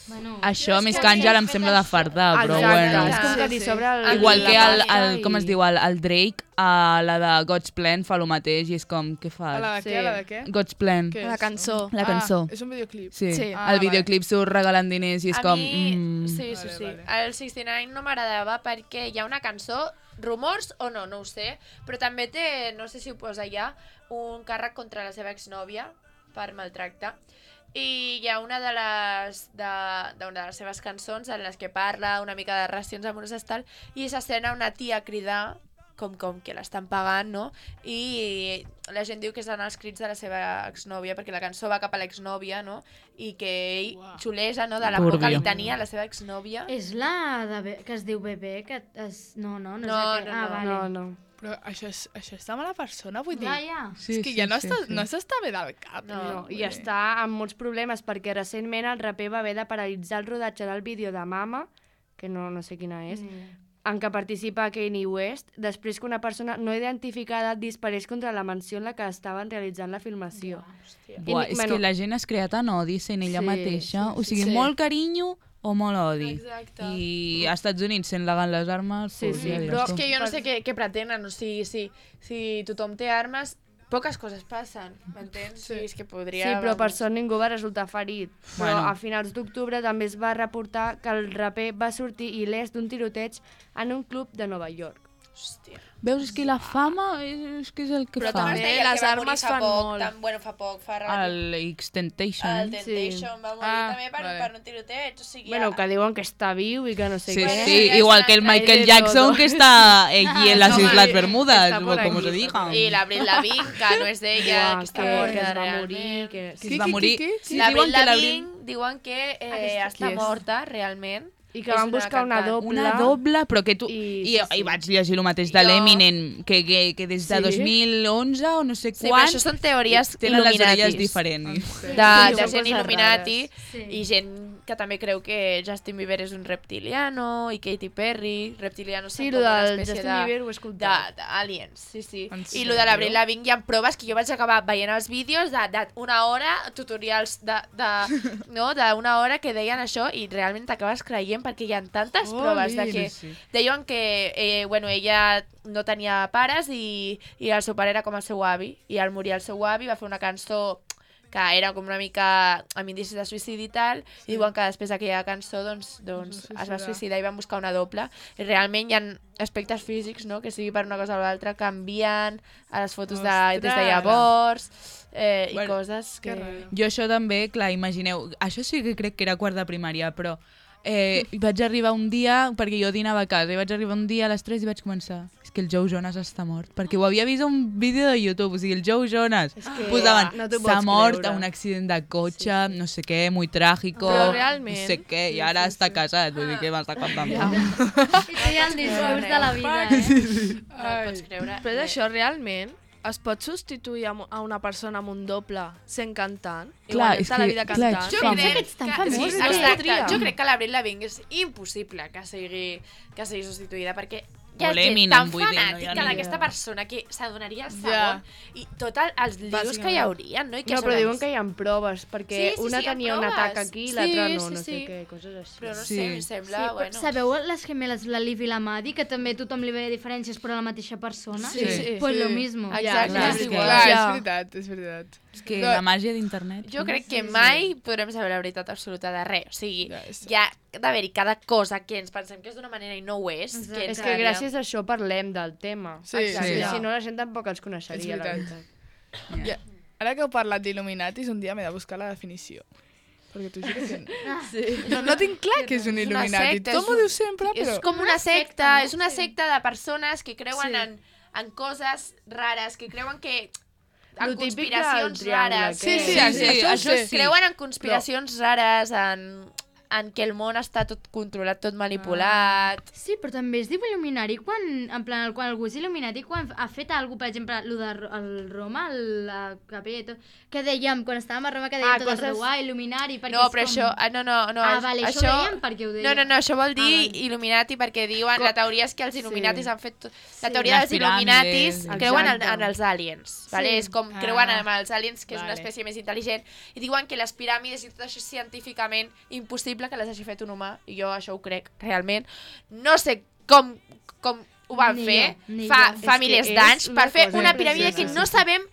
Bueno, Això més que àngel em sembla de fardar, però Exacte, bueno. és com que t'hi sobra el, Igual que el, la el, pasta com es i- diu, el, el Drake, a la de God's Plan fa el mateix i és com, què A la fas? de què? A la de què? God's Plan. Què La és? cançó. La cançó. Ah, és un videoclip. Sí, Sí. Ah, el vale. videoclip surt regalant diners i és A com... mi, Mm, sí, sí, Vale, sí. vale. El seixanta-nou no m'agradava perquè hi ha una cançó, rumors o no, no ho sé, però també té, no sé si ho posa ja, un càrrec contra la seva exnòvia per maltracte. I hi ha una de les, de, d'una de les seves cançons en les que parla una mica de relacions amoroses tal, i s'escena una tia cridar com, com que l'estan pagant, no? I la gent diu que són els crits de la seva exnòvia, perquè la cançó va cap a l'exnòvia, no? I que ell xulesa, no?, de la por que Turbio. li tenia la seva exnòvia. és la de be- que es diu bebè, que es... No, no, no, No, és aquella. no, Ah, no. vale. No, no. Però això és, això és de mala persona, vull dir... Ja, ja. sí, és que ja no, sí, està, sí. no s'està bé del cap. No, No, vull i dir. està amb molts problemes perquè recentment el raper va haver de paralitzar el rodatge del vídeo de Mama, que no, no sé quina és, Ni idea. en què participa Kanye West, després que una persona no identificada disparés contra la mansió en la que estaven realitzant la filmació. Buah, I, és bueno, que la gent es crea tant odi sent ella Sí, mateixa, o sigui, sí. molt carinyo o molt odi. Exacte. I als Estats Units, sent legal les armes, Sí, pues, sí, ja diràs Però tu. és que jo no sé què, què pretenen, o sigui, si, si tothom té armes, poques coses passen, m'entens? Sí. És que podria... Sí, però per vamos. sort ningú va resultar ferit. Però Bueno. a finals d'octubre també es va reportar que el raper va sortir il·lès d'un tiroteig en un club de Nova York. Hòstia. Veus, és que la fama és, és que és el que Però fa. també Com es deia el les que va morir armes fa fan poc, molt. Tan, bueno, fa poc, fa relatiu. El X-Temptation. El eh? Temptation va morir Ah, també per, vale. per un tiroteig, o sigui... Bueno, que diuen que està viu i que no sé Sí, què. sí, ja igual és que el una- Michael hay de Jackson todo. que está allí en las No, Islas sí, Bermudas, está por o como aquí. se diga. I la Avril Lavigne, que no és d'ella, Buah, que està que, morta que es va realment. morir, que... Que Qui, es va qui, morir. qui, qui? Sí, La diuen Avril que Lavigne diuen que eh, Qui està és? morta, realment. I que És van una buscar una cantant. doble. Una doble, però que tu... I, I- i, sí, sí. i vaig llegir el mateix de Jo- l'Eminem, que, que, que des de Sí? dos mil onze o no sé Sí, però quan... això són teories tenen les orelles Illuminatis. diferents. De, Sí, de són gent coses Illuminati rares. Sí. i gent que també creu que Justin Bieber és un reptiliano i Katy Perry, reptilianos Sí, són lo com una del espècie Justin de... Bieber ho he escoltat. de- d'aliens, sí, sí. En I lo de l'Avril sèrio? Lavigne hi ha proves que jo vaig acabar veient els vídeos d'una hora, tutorials de, de, no, d'una hora que deien això i realment t'acabes creient perquè hi ha tantes proves de que Sí, sí. deien que eh, bueno, ella no tenia pares i, i el seu pare era com el seu avi i al morir el seu avi va fer una cançó que era com una mica amb indicis de suïcidi i tal, sí. i diuen que després d'aquella cançó doncs, doncs Es va es va suïcidar. suïcidar i van buscar una doble. I realment hi ha aspectes físics, no?, que sigui per una cosa o l'altra, canvien a les fotos de, des de Ostres! llavors eh, i Bueno, coses que... que raro. Jo això també, clar, imagineu, això sí que crec que era quart de primària, però eh, vaig arribar un dia, perquè jo dinava a casa, i vaig arribar un dia a les tres i vaig començar, és que el Joe Jonas està mort, perquè ho havia vist a un vídeo de YouTube, o sigui, el Joe Jonas, que posaven, no t'ho s'ha pots mort creure. a un accident de cotxe, sí, sí. no sé què, muy trágico, Però realment- no sé què, i ara està casat, vull dir, què m'està contant? Ja. I té el discurs de la vida, eh? No ho pots creure. Però és això, realment, es pot substituir a mo- a una persona amb un doble sent cantant? Clar, Igual és tota la que- vida clar, cantant? Jo Com? crec que ets tan que, famós, sí, que exacte, podria. jo crec que l'Avril Lavigne és impossible que sigui, que sigui substituïda, perquè hi ha O gent l'Eminem, tan vull dir, no hi ha fanàtica ni d'aquesta idea. persona que s'adonaria al Ja. segon i tots els líos que hi haurien, no? I que No, a però sobre- diuen que hi ha proves, perquè Sí, sí, una sí, hi ha tenia un proves. atac aquí i Sí, l'altra no, sí, no sé sí. què, coses així. Però no Sí. sé, em Sí, sembla, però bueno... sabeu les gemeles, la Liv i la Maddie, que també tothom li veia diferències però la mateixa persona? Sí, sí. Pues Sí. lo mismo. Exacte, clar, és és que- igual. Clar, Ja. és veritat, és veritat. És que No. la màgia d'internet... Jo crec que mai podrem saber la veritat absoluta de res. O sigui, Ja, és- hi ha d'haver-hi cada cosa que ens pensem que és d'una manera i no ho és. Exacte. Que És ens que agradaria. gràcies a això parlem del tema. Sí, Exacte. sí. I si no la gent tampoc els coneixeria, És la veritat. veritat. Ja. Ara que heu parlat d'Illuminatis, un dia m'he de buscar la definició. Perquè t'ho juro que no. No tinc clar que és un il·luminati. Tothom ho diu sempre, però... És com una secta, és una secta de persones que creuen en, en coses rares, que creuen que... en conspiracions rares. Sí, sí, això sí. Creuen en conspiracions rares, en... en què el món està tot controlat, tot manipulat... Ah. Sí, però també es diu il·luminari quan, en plan, quan algú és il·luminati, quan ha fet alguna cosa, per exemple, el de el Roma, el, la capella i tot, que dèiem, quan estàvem a Roma, que dèiem ah, tot coses... el reuà, il·luminari, perquè no, és però com... això, no, no, no. Ah, vale, això, això ho dèiem perquè ho dèiem. No, no, no, això vol dir ah, vale. il·luminati perquè diuen, com... la teoria és que els il·luminatis sí. han fet... Tot... La sí. teoria dels il·luminatis Exacte. creuen en, en els aliens, sí. vale? És com ah. creuen en els aliens, que és vale. una espècie més intel·ligent, i diuen que les piràmides i tot això és científicament impossible que les hagi fet un humà, i jo això ho crec realment. No sé com, com ho van ni fer jo, fa, fa és milers d'anys per fer una piràmide que sí, no sí. sabem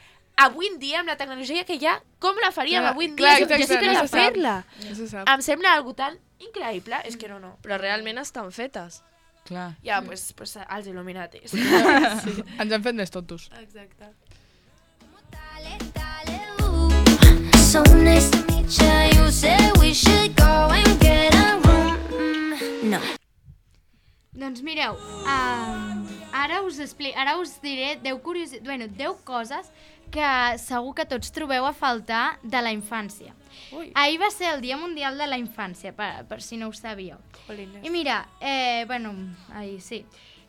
avui en dia, amb la tecnologia que hi ha, com la faríem clar, avui en dia? clar, Jo exacte, sí que no no se sap. fer-la. No se sap. Em sembla algo tan increïble, és que no, no. Però realment estan fetes. Clar. Ja, doncs pues, pues, els il·luminatis. Sí. Ens han fet més tontos. Exacte. So nice to meet you. You said we should go and get a room. Mm, no. Doncs mireu, uh, ara us expli ara us diré deu curiositats, bueno, deu coses que segur que tots trobeu a faltar de la infància. Ui. Ahir va ser el Dia Mundial de la Infància, per, per si no ho sabíeu. Jolines. I mira, eh, bueno, ahir sí,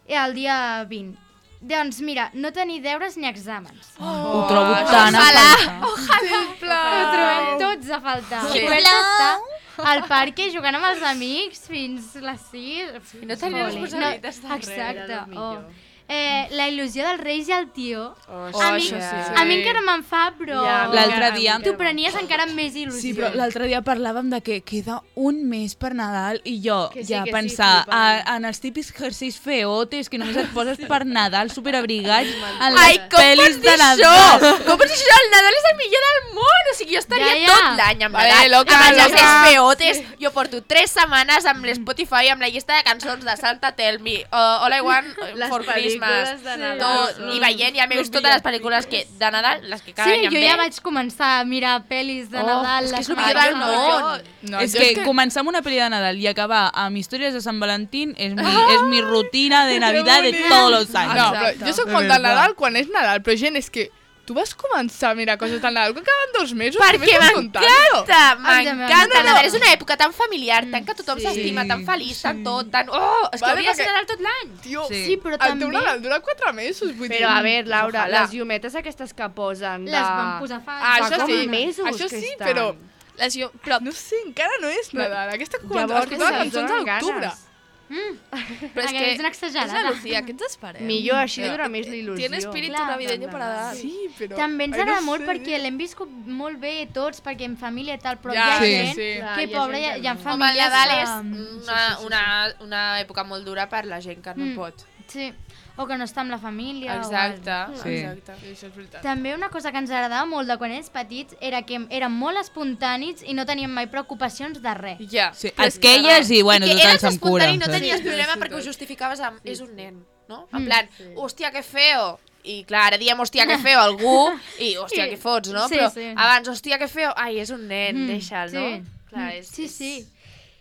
el dia vint. Doncs mira, no tenir deures ni exàmens. Oh, ho trobo tan a faltar. Ho trobem tots a faltar. Sí. I poder estar al parc jugant amb els amics fins les sis. I no tenir Joli. responsabilitats No, de res, exacte. era el millor. Oh. Eh, la il·lusió dels reis i el tió. Oh, a, mi, això sí. a mi encara me'n fa, però Ja, L'altre dia... t'ho prenies encara amb més il·lusió. Sí, però l'altre dia parlàvem de que queda un mes per Nadal i jo Que sí, ja que sí, pensar flipant. a, en els típics jerseis feotes que només et poses per Nadal, superabrigats, en Ai, les com pots pel·lis dir de això? Nadal. Com pots dir això? El Nadal és el millor del món! O sigui, jo estaria Ja, ja. tot l'any amb Vale, Nadal. loca, amb els loca. jerseis feotes. Jo porto tres setmanes amb l'Spotify, amb la llista de cançons de Santa Tell Me, uh, All I Want Les for pel·lícules Christmas. de Nadal Tot, són i veient, ja m'he vist totes les pel·lícules que, de Nadal, les que cada Sí, any em jo ve. ja vaig començar a mirar pel·lis de Oh, Nadal. és que és les el millor del meves. món. No, és jo que començar amb una pel·li de Nadal i acabar amb històries de Sant Valentín és mi, és mi rutina de Navidad de tots els Ah, anys. no, però jo sóc De molt de veritat. Nadal quan és Nadal, però gent, és que tu vas començar a mirar coses del Nadal, que acaben dos mesos, Perquè m'encanta, m'encanta. No, no. Nadal és una època tan familiar, tant que tothom Sí, s'estima, tan feliç, sí. tan tot, tan... Oh, és que Vale, hauria de ser perquè- Nadal tot l'any. Tio, Sí. Sí, però el teu també Nadal dura quatre mesos, vull dir... Però a veure, Laura, Ojalà. les llumetes aquestes que posen de... les van posar fa... Ah, fa això com sí, mesos això que sí, estan. però... Les llum... Però, No sé, encara no és Nadal. Aquesta Llavors, escoltava ens cançons a donen l'octubre. ganes. però és Aquella que... és una exagerada. És la Lucía, què ens esperem? Millor, així dura més l'il·lusió. Tiene espíritu Clar, navideño para dar. Sí, però... També ens Ai, no agrada sé, molt eh? perquè l'hem viscut molt bé tots, perquè en família i tal, però Ja, hi ha sí, gent sí. Clar, que, hi ha pobra, hi gent ha, que hi ha no. Home, el famílies Nadal que... és una, una, una època molt dura per la gent que no Mm. pot. Sí, o que no està amb la família. Exacte, O Sí. exacte. Sí, això és veritat. també una cosa que ens agradava molt de quan érem petits era que érem molt espontanis i no teníem mai preocupacions de res. Ja. Sí, aquelles i, bueno, I que total eres se'm cura. espontani i no saps? tenies Sí, problema sí, perquè ho tot. justificaves amb és un nen, no? En Mm. plan, hòstia, que feo. I clar, ara diem hòstia, que feo a algú i hòstia, I- que fots, no? sí, Però sí. abans, hòstia, que feo, ai, és un nen, Mm, deixa'l, no? sí. Clar, Mm, és, sí, sí.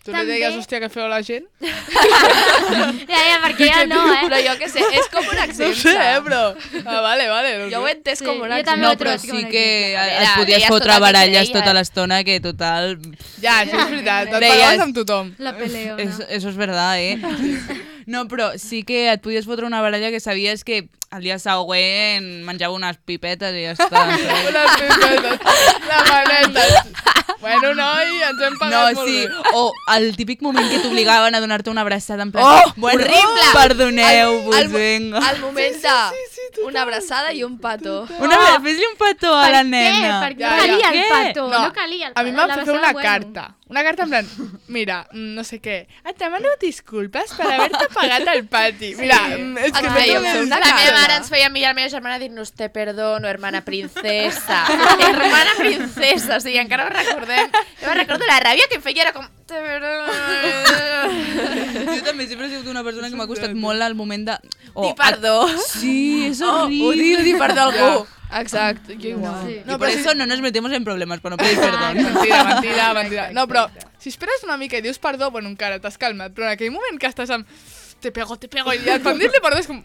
Tu També- li deies, hòstia, que feu la gent? Ja, ja, perquè ja no, eh? Però jo què sé, és com un No exemple. sé, eh, però... Ah, vale, vale. No Jo ho he sé. entès Sí, com un jo exemple. també No, ho he però trobat sí com un que exemple. et Era, podies deies fotre tot el que baralles creia. tota l'estona, que total... Ja, això és veritat. Et Deies- parlaves amb tothom. La peleona. Eso, eso es verdad, eh? No, però sí que et podies fotre una baralla que sabies que el dia següent menjava unes pipetes i ja està. saps? Unes pipetes, la maneta. Bueno, noi, ens hem No, pagat molt sí, bé. o el típic moment que t'obligaven a donar-te una abraçada en plan... Oh, bueno, horrible! Perdoneu-vos, El- vinga. El moment de una abraçada i un petó. Una vegada, fes-li un petó a la Per nena. què? Perquè Ja, no ja. calia el Què? pato, No, no calia el pato. A mi m'han La fet fer besada, una bueno. carta. Una carta en plan, mira, mm, no sé què, et demano disculpes per haver-te pagat al pati. Mira, mm, és que Et no fèiem t'ho fer una La dius. meva carta. mare ens feia enviar a la meva germana a dir-nos te perdono, hermana princesa. Hermana princesa, o sigui, encara ho recordem. Jo me'n recordo la ràbia que em feia, era com... Te perdono. Jo també sempre he sigut una persona que m'ha costat molt el moment de... Dir perdó. Sí, és Oh, horrible. odio dir perdó a algú. Exacte, jo igual. Sí. No, por eso no nos metemos en problemas, per no pedir perdó. Mentida, mentida, mentida. No, però si esperes una mica i dius perdó, bueno, encara t'has calmat, però en aquell moment que estàs amb te pego, te pego, i ja quan dir-li perdó és com...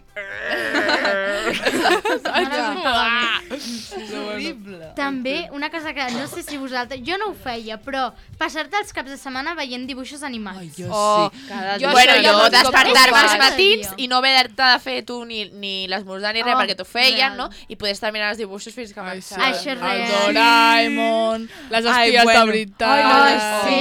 També, una cosa que no sé si vosaltres... Jo no ho feia, però passar-te els caps de setmana veient dibuixos animats. Ai, jo Oh, sí. Cada Jo dia. Bueno, això ja jo no et despertar-me compro als pas. matins i no haver-te de fer tu ni, ni l'esmorzar ni res Oh, perquè t'ho feien, real. no? I poder estar mirant els dibuixos fins que Ai, sí. marxava. Això és El real. Doraemon, les Ai, espies bueno. de veritat, Ai, sí.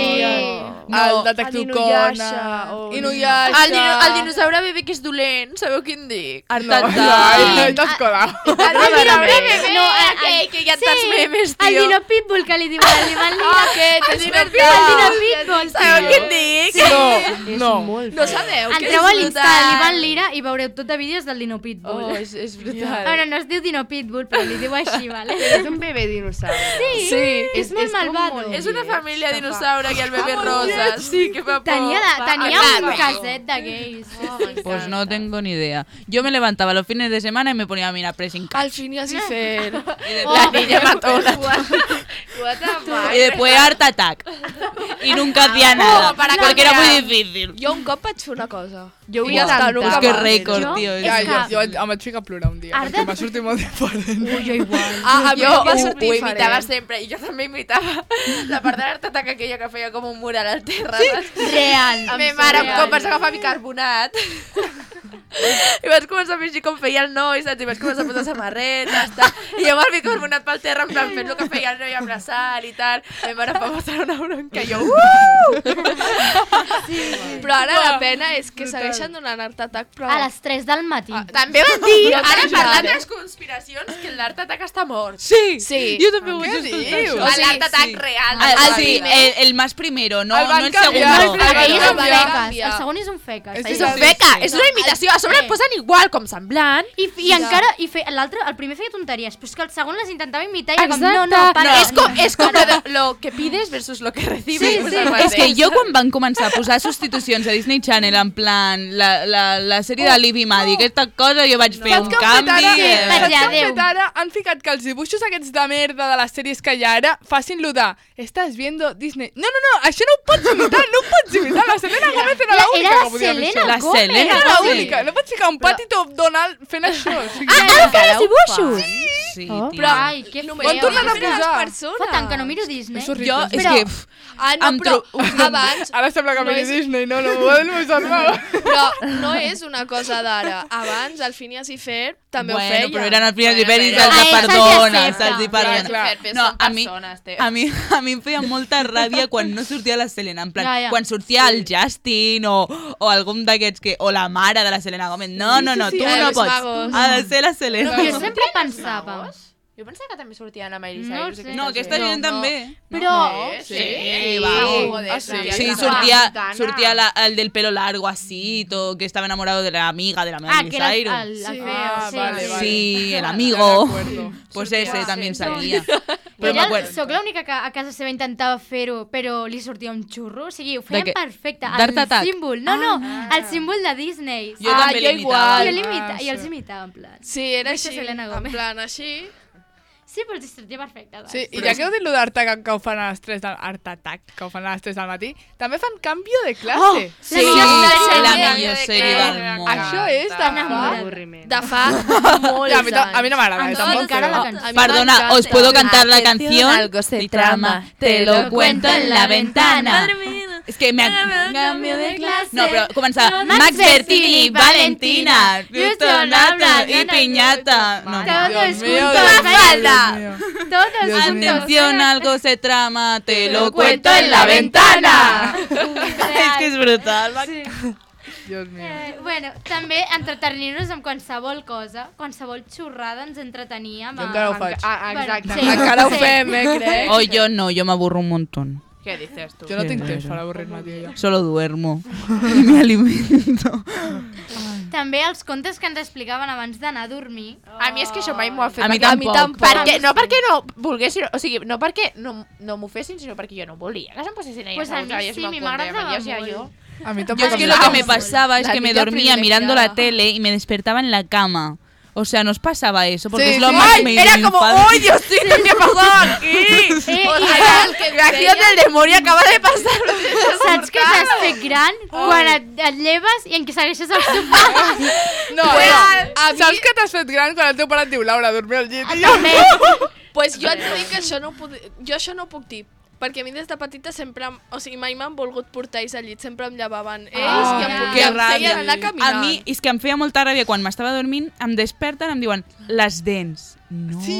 el detectiu El Conan, Inuyasha, o- Inuyasha... El, dino, el dinosaure bebè que és dolent, sabeu quin dic? No, Artata. ai, ai, t'has colat. El dinosaure bebè, No, no, el- aquell que hi ha tants memes, El tio. Dino Pitbull que li diuen al Ivan Lira. Ah, aquest, és Dino veritat. El Dino Pitbull. Sabeu quin dic? No, És no. molt No feo. sabeu que Entreu a és l'Insta brutal. de l'Ivan Lira i veureu tot de vídeos del Dino Pitbull. Oh, és, és brutal. Bueno, no es diu Dino Pitbull, però li diu així, vale? És un bebè dinosaure. Sí, Sí, és molt és com malvado. molt- És una família dinosaure i el bebè rosa. Sí, que fa por. Tenia, de, tenia Exacte. un caset de gais. Pues no tengo ni idea. Yo me levantaba los fines de semana y me ponía a mirar Pressing Catch. Al fin i así fer. La niña matona. What the fuck? Y después Art Attack. Y nunca hacía nada. para Porque era cambiar. muy difícil. Jo un cop vaig fer una cosa. Jo ho I ja està, intentar. nunca Es que más. récord, Jo- tío. és Ja, Es- jo, que- jo em vaig ficar a plorar un dia, Arda- perquè m'ha sortit molt diferent. Ui, jo igual. Ah, a mi Jo no va ho, sortir ho imitava diferent. sempre i jo també imitava la part de l'Art Attack aquella que feia com un mural al terra. Real. La meva mare un cop vaig agafar bicarbonat i vaig començar a fingir com feia el noi, saps? I vaig començar a posar samarretes, tal. I jo amb el bicarbonat pel terra, en plan, fent el que feia el noi, abraçant i tal. La meva mare em va passar una bronca i jo, uh! Però ara la pena és que segueixen donant Art Attack, però... A les tres del matí. També van dir, No ara t'agrada. parlant de les conspiracions, que l'Art Attack està mort. Sí, Sí. yo también voy Què a dius? O sigui, L'Art Attack sí. real. Ah, del ah, sí, cine. el, el más primero, no, El van no el canviar, segundo. el Aquell és un va feques. canviar. El segon és un feques. És És Sí, un sí, feca, sí. és una imitació, a sobre Sí. el posen igual, com semblant. I, i encara, i fe, l'altre, el primer feia tonteries, però és que el segon les intentava imitar i era com, no, no, para. No, és com, és com lo, de, lo que pides versus lo que recibes. Sí, pues sí. el És que mateix. jo quan van començar a posar substitucions a Disney Channel en plan la, la, la sèrie de Liv i Maddie, aquesta cosa, jo vaig fer Saps un què han fet canvi. ara? eh, vaig Saps què han adéu. fet ara? Han ficat que els dibuixos aquests de merda de les sèries que hi ha ara facin lo de estàs viendo Disney. No, no, no, això no ho pots imitar, no ho pots imitar. La Selena Gómez era La- l'única era que la podia fer Selena això. La Gómez. Selena Era Gómez. l'única. No pots ficar un Patito Donald fent això. O sigui, Ah, no feies dibuixos? Sí, Oh. tio. Però Ai, que només Quan tornen a només les posar? persones. Fa tant que no miro Disney. és horrible. Jo, és Però- que... pf, Ah, no, em però tro- abans... Ara sembla que No miri és- Disney, no, no, m'ho va dir salvar. Però no és una cosa d'ara. Abans, el Phineas i Ferb també bueno, ho feia. però eren els primers Bueno, diferents, però- se'ls Ah, ells perdona, se'ls se'ls hi accepta. perdona. Clar, clar. No, Són a mi, persones, tio. a, mi, a mi em feia molta ràbia quan no sortia la Selena. En plan, Ja, ja. quan sortia el Justin o, o algun d'aquests que... O la mare de la Selena Gómez. No, no, no, sí, tu sí, no els pots. magos. Ha de ser la Selena. Jo sempre pensava. Jo pensava que també sortien a Miley No Cyrus. sé. aquestes No, aquesta gent. gent també. Però... Sí, Sí, va. Ah, sí. Sí, Ja sortia, està. sortia la, el del pelo largo así, todo, que estaba enamorado de la amiga de la Ah, Miley que era el, Cyrus. el, el Sí. feo, Ah, sí. vale, vale. Sí, el Ja amigo. recuerdo. Pues ese también salía. Però Però ella, m'acuerdo. soc l'única que a casa seva intentava fer-ho, però li sortia un xurro. O sigui, ho feien De què? perfecte. D'Art El Attack? símbol. No, no, el símbol de Disney. Jo Ah, també jo l'imitava. I, igual. l'imita, Ah, I els sí. imitava, en plan. Sí, era Deixa així. Selena En Gómez. plan, així. Sí, però els sortia perfecte. doncs. Sí, i ja que heu dit lo d'Art Attack que ho fan a les tres del Art Attack, que ho fan a les tres del matí, també fan canvi de classe. Sí, la la millor millor de sèrie classe. del món. Això és de M'encanta. fa... Avorriment. De fa molts Ja, a mi, ta- a mi no m'agrada, Em eh, sona tampoc. encara però- la A cançó. mi Perdona, m'encanta. os puedo cantar la Atención, canción. algo se Mi trama, te lo cuento en la ventana. Madre mía. Es que me ha... Cambio de clase. No, però comença Max Max Bertini, Bertini, Valentina, Justo Justo Nato Nato y y Piñata. No, Todos Dios mío, juntos, Dios mío, falda. Dios mío. Todos Dios juntos. mío. Atención, algo se trama, te lo lo cuento cuento en la ventana. Real. Es que es brutal. Sí. Dios mío. Eh, bueno, també entretenir-nos amb qualsevol cosa, qualsevol xorrada ens entretenia. Jo encara ho faig. Ah, exacte. Sí. Encara ho Sí. fem, eh, crec. O yo no, yo me aburro un montón. Què dices tu? Jo no Sí, tinc sí, temps sí. per avorrir-me, tio, jo. Solo duermo y me alimento. També els contes que ens explicaven abans d'anar a dormir. A mi és que això mai m'ho ha fet. A mi perquè- tampoc. Perquè, no perquè no volguessin, o sigui, no perquè no, no m'ho fessin, sinó perquè jo no volia que se'm posessin ella. Pues a mi sí, mi m'agradava Yo. A mi Yo tampoc es que em lo que agrada. me pasaba es La que me niña dormía mirando privilegiada. la tele y me despertaba en la cama. O sea, ¿nos pasaba eso? Porque Sí, es lo sí. más Ay, made era in como, infancia. ¡ay, Diosito, qué pasó aquí! Eh, O i sea, el que reacció del demonio acaba de passar. saps que t'has fet gran quan et, et lleves i en què segueixes el teu pare? No, Pues, no. a mi- Saps que t'has fet gran quan el teu pare et diu Laura, dormir al llit? I jo, També. Pues jo et dic que això no ho puc... Jo això no ho puc dir. Perquè a mi des de petita sempre... em- O sigui, mai m'han volgut portar ells al llit. Sempre em llevaven ells Ai, i em, que i em ràbia. feien anar caminant. A mi és que em feia molta ràbia quan m'estava dormint, em desperten i em diuen les dents. No. Sí,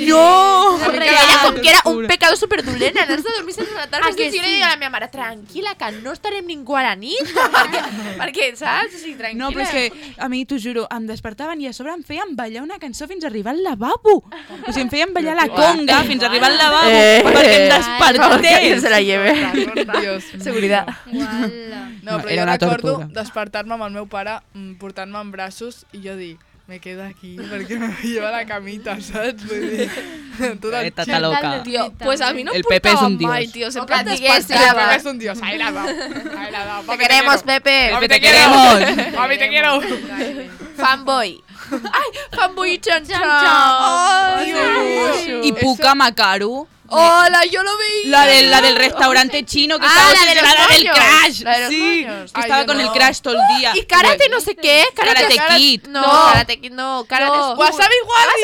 No. Que era, com que era un pecado superdolent anar-se a dormir sense rentar Ah, els que dits. I jo li sí? deia a la meva mare, tranquil·la, que no estarem ningú a la nit. perquè, perquè, saps? O sigui, tranquil·la. No, però és que a mi, t'ho juro, em despertaven i a sobre em feien ballar una cançó fins a arribar al lavabo. O sigui, em feien ballar la conga fins a arribar al lavabo Eh. perquè em Que despertés. se la lleve. Dios. Seguridad. Uala. No, però Era jo una recordo tortura. despertar-me amb el meu pare, mm, portant-me en braços i jo dir, me quedo aquí perquè me lleva la camita, saps? Vull dir, tot el Eh, tata loca. Tio, pues a mi no em El Pepe és portaven un dios. mai, tio. Sempre O em que et digués, El despertava. Pepe es un dios, ahí la da, ahí la da. Te queremos, Pepe. Papi, Pepe, te te quiero. queremos. Papi, te quiero. Fanboy. Ai, fanboy i Chan Chan. Ay, Dios. Dios. Y Puka Makaru. Hola, yo lo veía. La del, la del restaurante chino que Ah, estaba la de los obsesionada del moños. crash. La de los sí, moños. que Ay, estaba yo con el no. crash todo el día. Y karate no sé qué. Karate, Karate Kid. No, No. karate Kid no. Karate No. School. Wasabi Wally.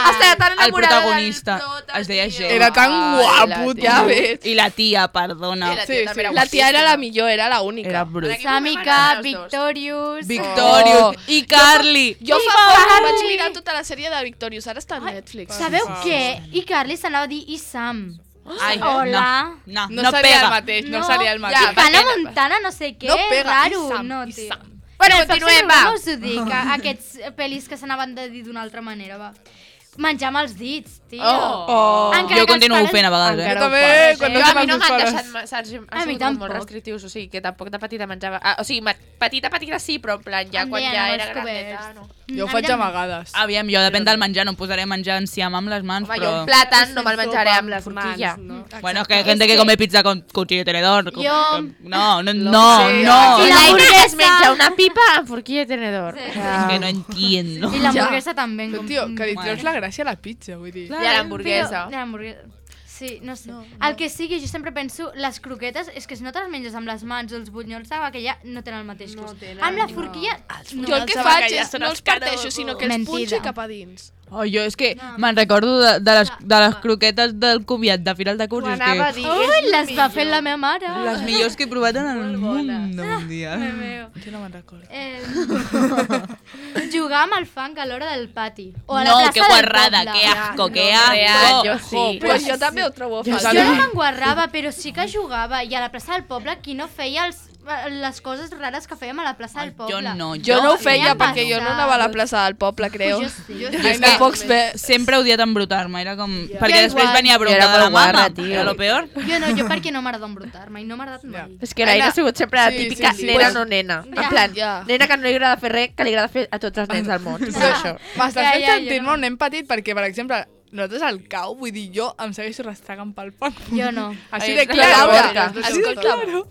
Hasta tan El enamorada del protagonista prota, es deia tio. Jay. Era tan Ai, guapo, la Ja tia. ves. Y la tía, perdona. I la Sí, tia sí. també era La tia era guapíssima. la millor, era la única. Era brut. Aquí Samika, m'agraden els dos. Victorious... Victorious Oh. y Carly. Jo fa poc vaig mirar tota la sèrie de Victorious, ara està a Netflix. Sabeu què? I Carly s'anava a dir i Sam. Ay, Hola. No, no, No, no, seria el pega. mateix, no, No. seria el I mateix. Hannah Montana, no sé què, No pega, raro. i Sam, no, i tio. Sam. Bueno, Però continuem, Fox and va. Us ho dic, a- aquests pel·lis que s'anaven de dir d'una altra manera, va. Menjar amb els dits, tio. Oh. Encara Jo que els continuo pares- fent a vegades, Jo eh? Encara ho també, fas, quan eh? no Jo, a mi som no els m'han pares. deixat, ma- saps? Han A mi sigut com molt tampoc. restrictius, o sigui, que tampoc de petita menjava... Ah, o sigui, ma- petita, petita sí, però en plan, ja Em quan deien ja amb era els grandeta, coberts. no. Jo ho Mm, faig em- amagades. Aviam, jo depèn del menjar, no em posaré a menjar enciam amb les mans, Home, però... jo un plàtan no me'l Fent menjaré sopa amb les forquilla. mans, no? Bueno, es que hay gente que come pizza con cuchillo y tenedor. Yo- No, no, no, Sí, no. Y La la Aina hamburguesa. es menja una pipa amb forquilla i tenedor. Sí. O Es sea, que no entiendo. I l'hamburguesa també. Però, com- tio, que li Mm. treus la gràcia a la pizza, vull dir. I a l'hamburguesa. Però, l'hamburguesa. Sí, no sé. El que sigui, jo sempre penso, les croquetes, és que si no te les menges amb les mans o els bunyols de bacallà, no tenen el mateix No gust. tenen, amb la no. forquilla, no. Jo el que Els faig bacallà és són no els els parteixo, sinó que els Mentida. punxo cap a dins. Oh, jo és que me'n recordo de, de, les, de les croquetes del comiat de final de curs. Ho És anava a que dir. Ui, les va fer la meva mare. les millors que he provat en el món un dia. Déu meu. Jo no me'n recordo. Eh, jugar amb el fang a l'hora del pati. O a la No, plaça que del guarrada, poble. que asco, que real, asco. jo sí. Pues jo també ho trobo Ja fàcil. Jo no m'enguarrava, però sí que jugava. I a la plaça del poble, qui no feia els, les coses rares que fèiem a la plaça del Jo poble? no, Jo no ho feia feia perquè jo no anava a la plaça del poble, creo. Pues jo sí. Jo és no que pocs ve... Sempre he odiat embrutar-me, era com... Perquè Jo després igual. venia bronca Era de la molt guarra, mama, tio. era lo peor. Jo no, jo perquè no m'agrada embrutar-me i no m'ha agradat mai. És que l'Aina ha sigut sempre la Sí, típica sí, sí. nena Pues- no nena. Ja. En plan, Ja. nena que no li agrada fer res, que li agrada fer a tots els nens del món. És això. M'estàs Ja, fent ja, sentir-me jo. un nen petit perquè, per exemple, nosaltres al cau, vull dir, jo em segueixo restregant pel pont. Jo no. Així Ai, de és que clar, la Laura. vodka. Així de Escolta, claro.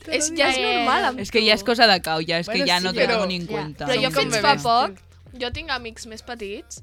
és, ja és Eh, normal amb És que ja és cosa de cau, ja és que Bueno, ja sí, no t'ho però- tengo ni en Ja. cuenta. Però jo Som com fins fa bebès. poc, jo tinc amics més petits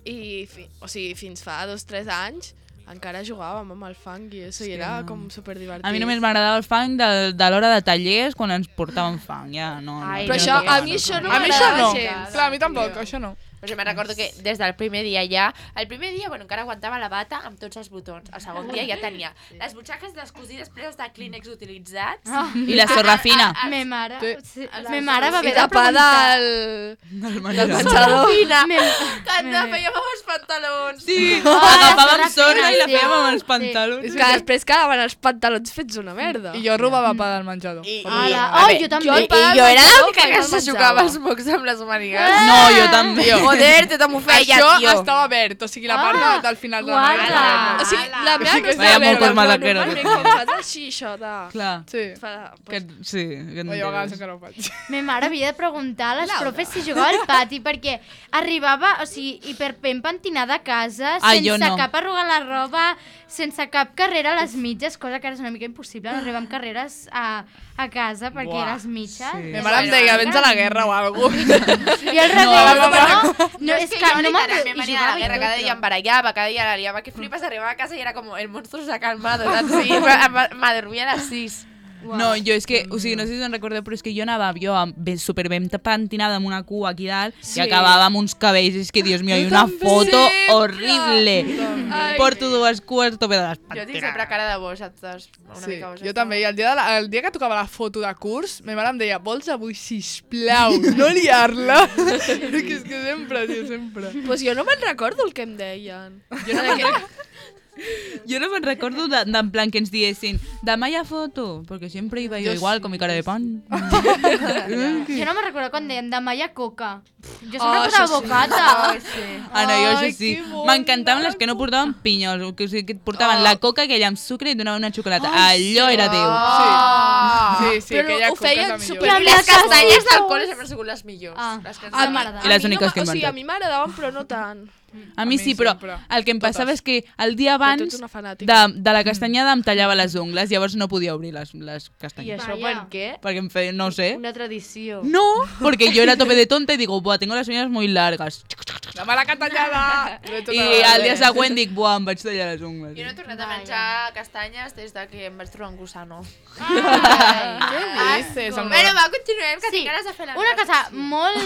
i, fi, o sigui, fins fa dos o tres anys encara jugàvem amb el fang i això, i era com superdivertit. A mi només m'agradava el fang de, de l'hora de tallers quan ens portaven fang, ja no. no Ai, Però no, això, no, a no, mi no. això no A mi això no. m'agradava gens. Clar, a mi tampoc, això no. Però jo me'n recordo que des del primer dia ja... El primer dia, bueno, encara aguantava la bata amb tots els botons. El segon dia ja tenia les butxaques descosides plenes de clínex utilitzats. Ah, I la sorra fina. me mare, Sí. sí, me mare va I haver de tapada preguntar. el... Del del menjador. Fina, Me- que ens la me- fèiem amb els pantalons. Sí, la agafàvem sorra sorra i la fina, fèiem amb els sí. pantalons. Que després quedaven els pantalons fets una merda. I jo robava pa del menjador. I, Ala, a oh, veure, jo també. Jo, el pa I del jo era menjador l'única que que no se el xucava menjava. els mocs amb les mànigues. No, jo també. Joder, te t'ho feia, Això tio. estava verd, o sigui, la part Ah, de, del final de la guarda. màniga. O sigui, la meva Sí no que està Vaya verda, mocos però malaqueros. normalment quan fas així, això de... Clar, Sí. Fa, que, sí. Que O jo a vegades enteres. encara ho faig. Me mare havia de preguntar a les profes si jugava al pati perquè arribava, o sigui, hiperpen pentinada a casa, Ah, sense jo no. cap arruga a la roba, sense cap carrera a les mitges, cosa que ara és una mica impossible, arribar amb carreres a, a casa perquè Buah, eres mitja. sí. Ma mare em deia, vens a la guerra o alguna cosa. I al revés, No, no, no, no, no, és que no literalment m'entro... venia a la guerra, cada dia em barallava, cada dia la liava, que flipes, arribava a casa i era com el monstruo s'ha calmado, saps? Sí, m'adormia a les sis. No, jo és que, o sigui, no sé si us en recordeu, però és que jo anava jo amb, ben, super ben pentinada amb una cua aquí dalt sí. I acabava amb uns cabells, és que, Dios mío, hi ha una foto sempre. horrible. Ai. Porto dues cues tope de les Jo tinc sempre pentinades. cara de bo, saps? Una Sí, mica boja. jo també. I el dia, de la, el dia que tocava la foto de curs, ma mare em deia, vols avui, sisplau, no liar-la? que és que sempre, tio, sempre. Pues jo no me'n recordo el que em deien. Jo no me'n jo no me'n recordo de, de, en plan que ens diessin demà hi ha foto, perquè sempre iba jo, Jo igual, sí, con mi cara de pan. Jo no me'n recordo quan deien demà hi ha coca. Jo sempre Oh, posava això sí. bocata. Ai, sí. Ah, no, jo Ai, això sí. que bon M'encantaven les que no portaven pinyols, o que, o sigui, que et portaven Oh. la coca aquella amb sucre i et donaven una xocolata. Allò era Déu. Oh. Sí, sí, Però aquella ho coca és feien la millor. super- I amb I les les castanyes castanyes d'alcohol sempre han sigut les millors. Ah. Les que ens A han mi- agradat. I les a mi úniques no, que he O sigui, a inventat. mi m'agradaven, però no tant. A mi A mi sí, però sempre. el que em passava Totes. és que el dia Però tu abans ets una de, fanàtica. de la castanyada em tallava les ungles, llavors no podia obrir les, les I castanyes. això Vaya. per què? Perquè em feia, no ho sé. Una tradició. No, porque yo era tope de tonta y digo, buah, tengo las uñas muy largas. La mala catallada! I al dia següent dic, buah, em vaig tallar les ungles. Jo no he tornat a Vaya. menjar castanyes des de que em vaig trobar un gusano. Ai. Què dices? Amb Bueno, la- va, continuem, que Sí, tinc ganes de fer la una meva cosa secció. molt...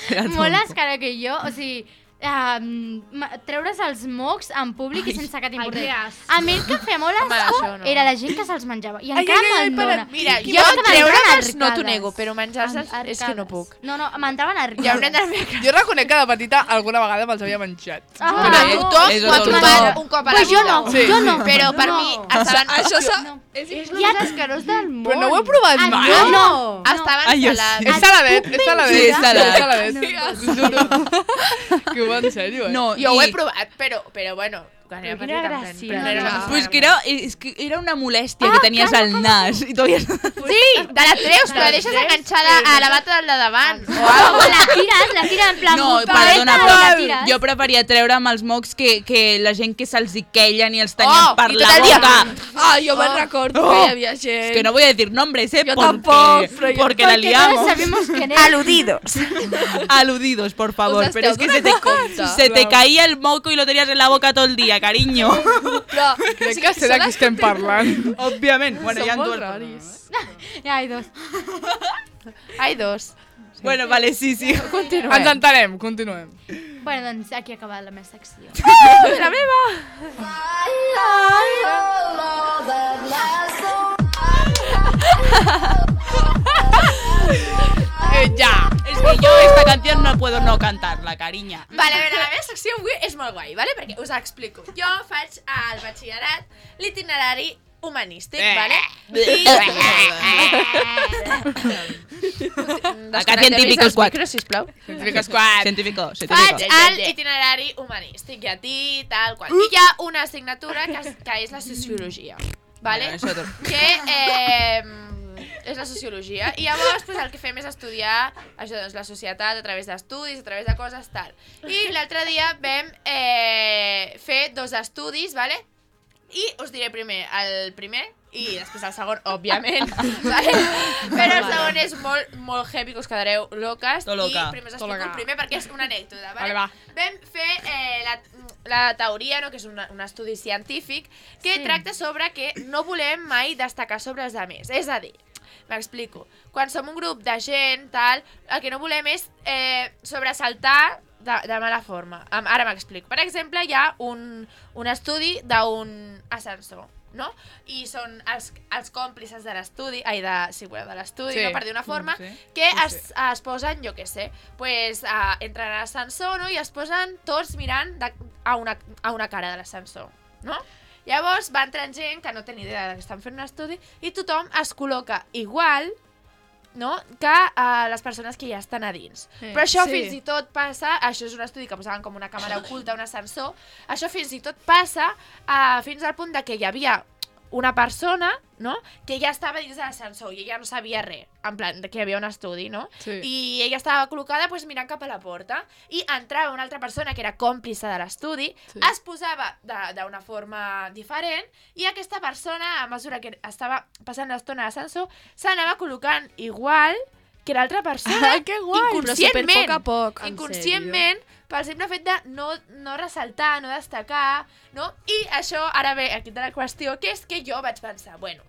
Era molt tonto. escara que jo, o sigui, um, treure's els mocs en públic i sense que t'importés. que asco. A mi el que em feia molt Home, asco això no. era la gent que se'ls menjava. I Ai, encara ai, ai, me'n para- dóna. Mira, Jo jo és que treure'ls m'entraven no t'ho arcades. nego, però menjar-se'ls Ar- és que no arcades. puc. No, no, m'entraven arcades. Ja haurem de fer... Jo reconec que de petita alguna vegada me'ls havia menjat. Ah, Però no. tothom És m'ho ha otro topat top. un cop a la Pues jo vida. no, Sí. jo no. Però per no. mi estaven... Això s'ha... No. És el Ja- més escarós del món. Però no ho he provat Ah, mai. no, no. Estaven Ai, jo sí. salats. És saladet, és saladet. Sí, és saladet. És saladet. Que ho va en sèrio, eh? No, Jo ho he i- provat, però, però bueno, quan era Quina petita... gràcia. però no era una cosa Pues gran. que era, és que era una molèstia que tenies al nas. I todavía... Sí, te la treus, però la deixes enganxada a la bata del de davant. O la tires, la tires en plan... No, bufeta, perdona, i la tires. però jo preferia treure'm els mocs que, que la gent que se'ls hi queien i els tenien Oh, per i la tot el dia. boca. Ah, jo me'n recordo Oh. que hi havia gent. Es que no voy a decir nombres, ¿eh? Yo porque, tampoco, pero yo- porque la Porque liamos. todos sabemos quién es. Aludidos. Aludidos, por favor. Us Pero es que esteu se te, donant se te caía el moco y lo tenías en la boca todo el día, cariño. Però, Crec que sé de qui estem parlant. Obviamente. Bueno, són ya molt dues raris. Ja, hay dos. Hay dos. Bueno, vale, sí, sí. Continuem. Ens entenem, continuem. Bueno, doncs aquí ha acabat la meva secció. La meva. Eh, ja. Es que yo esta canción no puedo no cantarla, cariña. Vale, a veure, la meva secció avui és molt guai, vale? Perquè us explico. Jo faig al batxillerat l'itinerari humanístic, vale? I... Acá científicos quatre. cuatro. Sisplau. Científicos quad. Científico, Faig científico. l'itinerari humanístic, llatí, tal qual. I hi ha una assignatura que, és- que és la sociologia, vale? Bueno, eso tot. Que eh, és la sociologia. I llavors pues, el que fem és estudiar això, doncs, la societat a través d'estudis, a través de coses, tal. I l'altre dia vam eh, fer dos estudis, vale? I us diré primer el primer i després el segon, òbviament, vale? Però el segon és molt, molt heavy, que us quedareu loques. Tot loca. I primer us Tot explico loca. el primer perquè és una anècdota, vale? Vale, va. Vam fer eh, la, la teoria, no? Que és una, un estudi científic, que Sí. tracta sobre que no volem mai destacar sobre els altres. És a dir, m'explico, quan som un grup de gent, tal, el que no volem és eh, sobresaltar de, de mala forma. Am- Ara m'explico. Per exemple, hi ha un, un estudi d'un ascensor, no? I són els, els còmplices de l'estudi, ai, de, sí, bueno, de l'estudi, Sí. no, per dir una forma, Sí. que Sí, es, es posen, jo què sé, pues, uh, entren a l'ascensor, no?, i es posen tots mirant de, a, una, a una cara de l'ascensor, no? Llavors va entrant gent que no té ni idea que estan fent un estudi i tothom es col·loca igual, no?, que uh, les persones que ja estan a dins. Sí. Però això Sí. fins i tot passa, això és un estudi que posaven com una càmera oculta, un ascensor, això fins i tot passa uh, fins al punt de que hi havia una persona, no?, que ja estava dins de l'ascensor i ella no sabia res, en plan, que hi havia un estudi, no? Sí. I ella estava col·locada pues, mirant cap a la porta i entrava una altra persona que era còmplice de l'estudi, Sí. es posava d'una forma diferent i aquesta persona, a mesura que estava passant l'estona a l'ascensor, s'anava col·locant igual que l'altra persona, Ah, que guai! Però inconscientment, superpoc a poc, en inconscientment, pel simple fet de no, no ressaltar, no destacar, no? I això, ara ve aquí de la qüestió, que és que jo vaig pensar, bueno,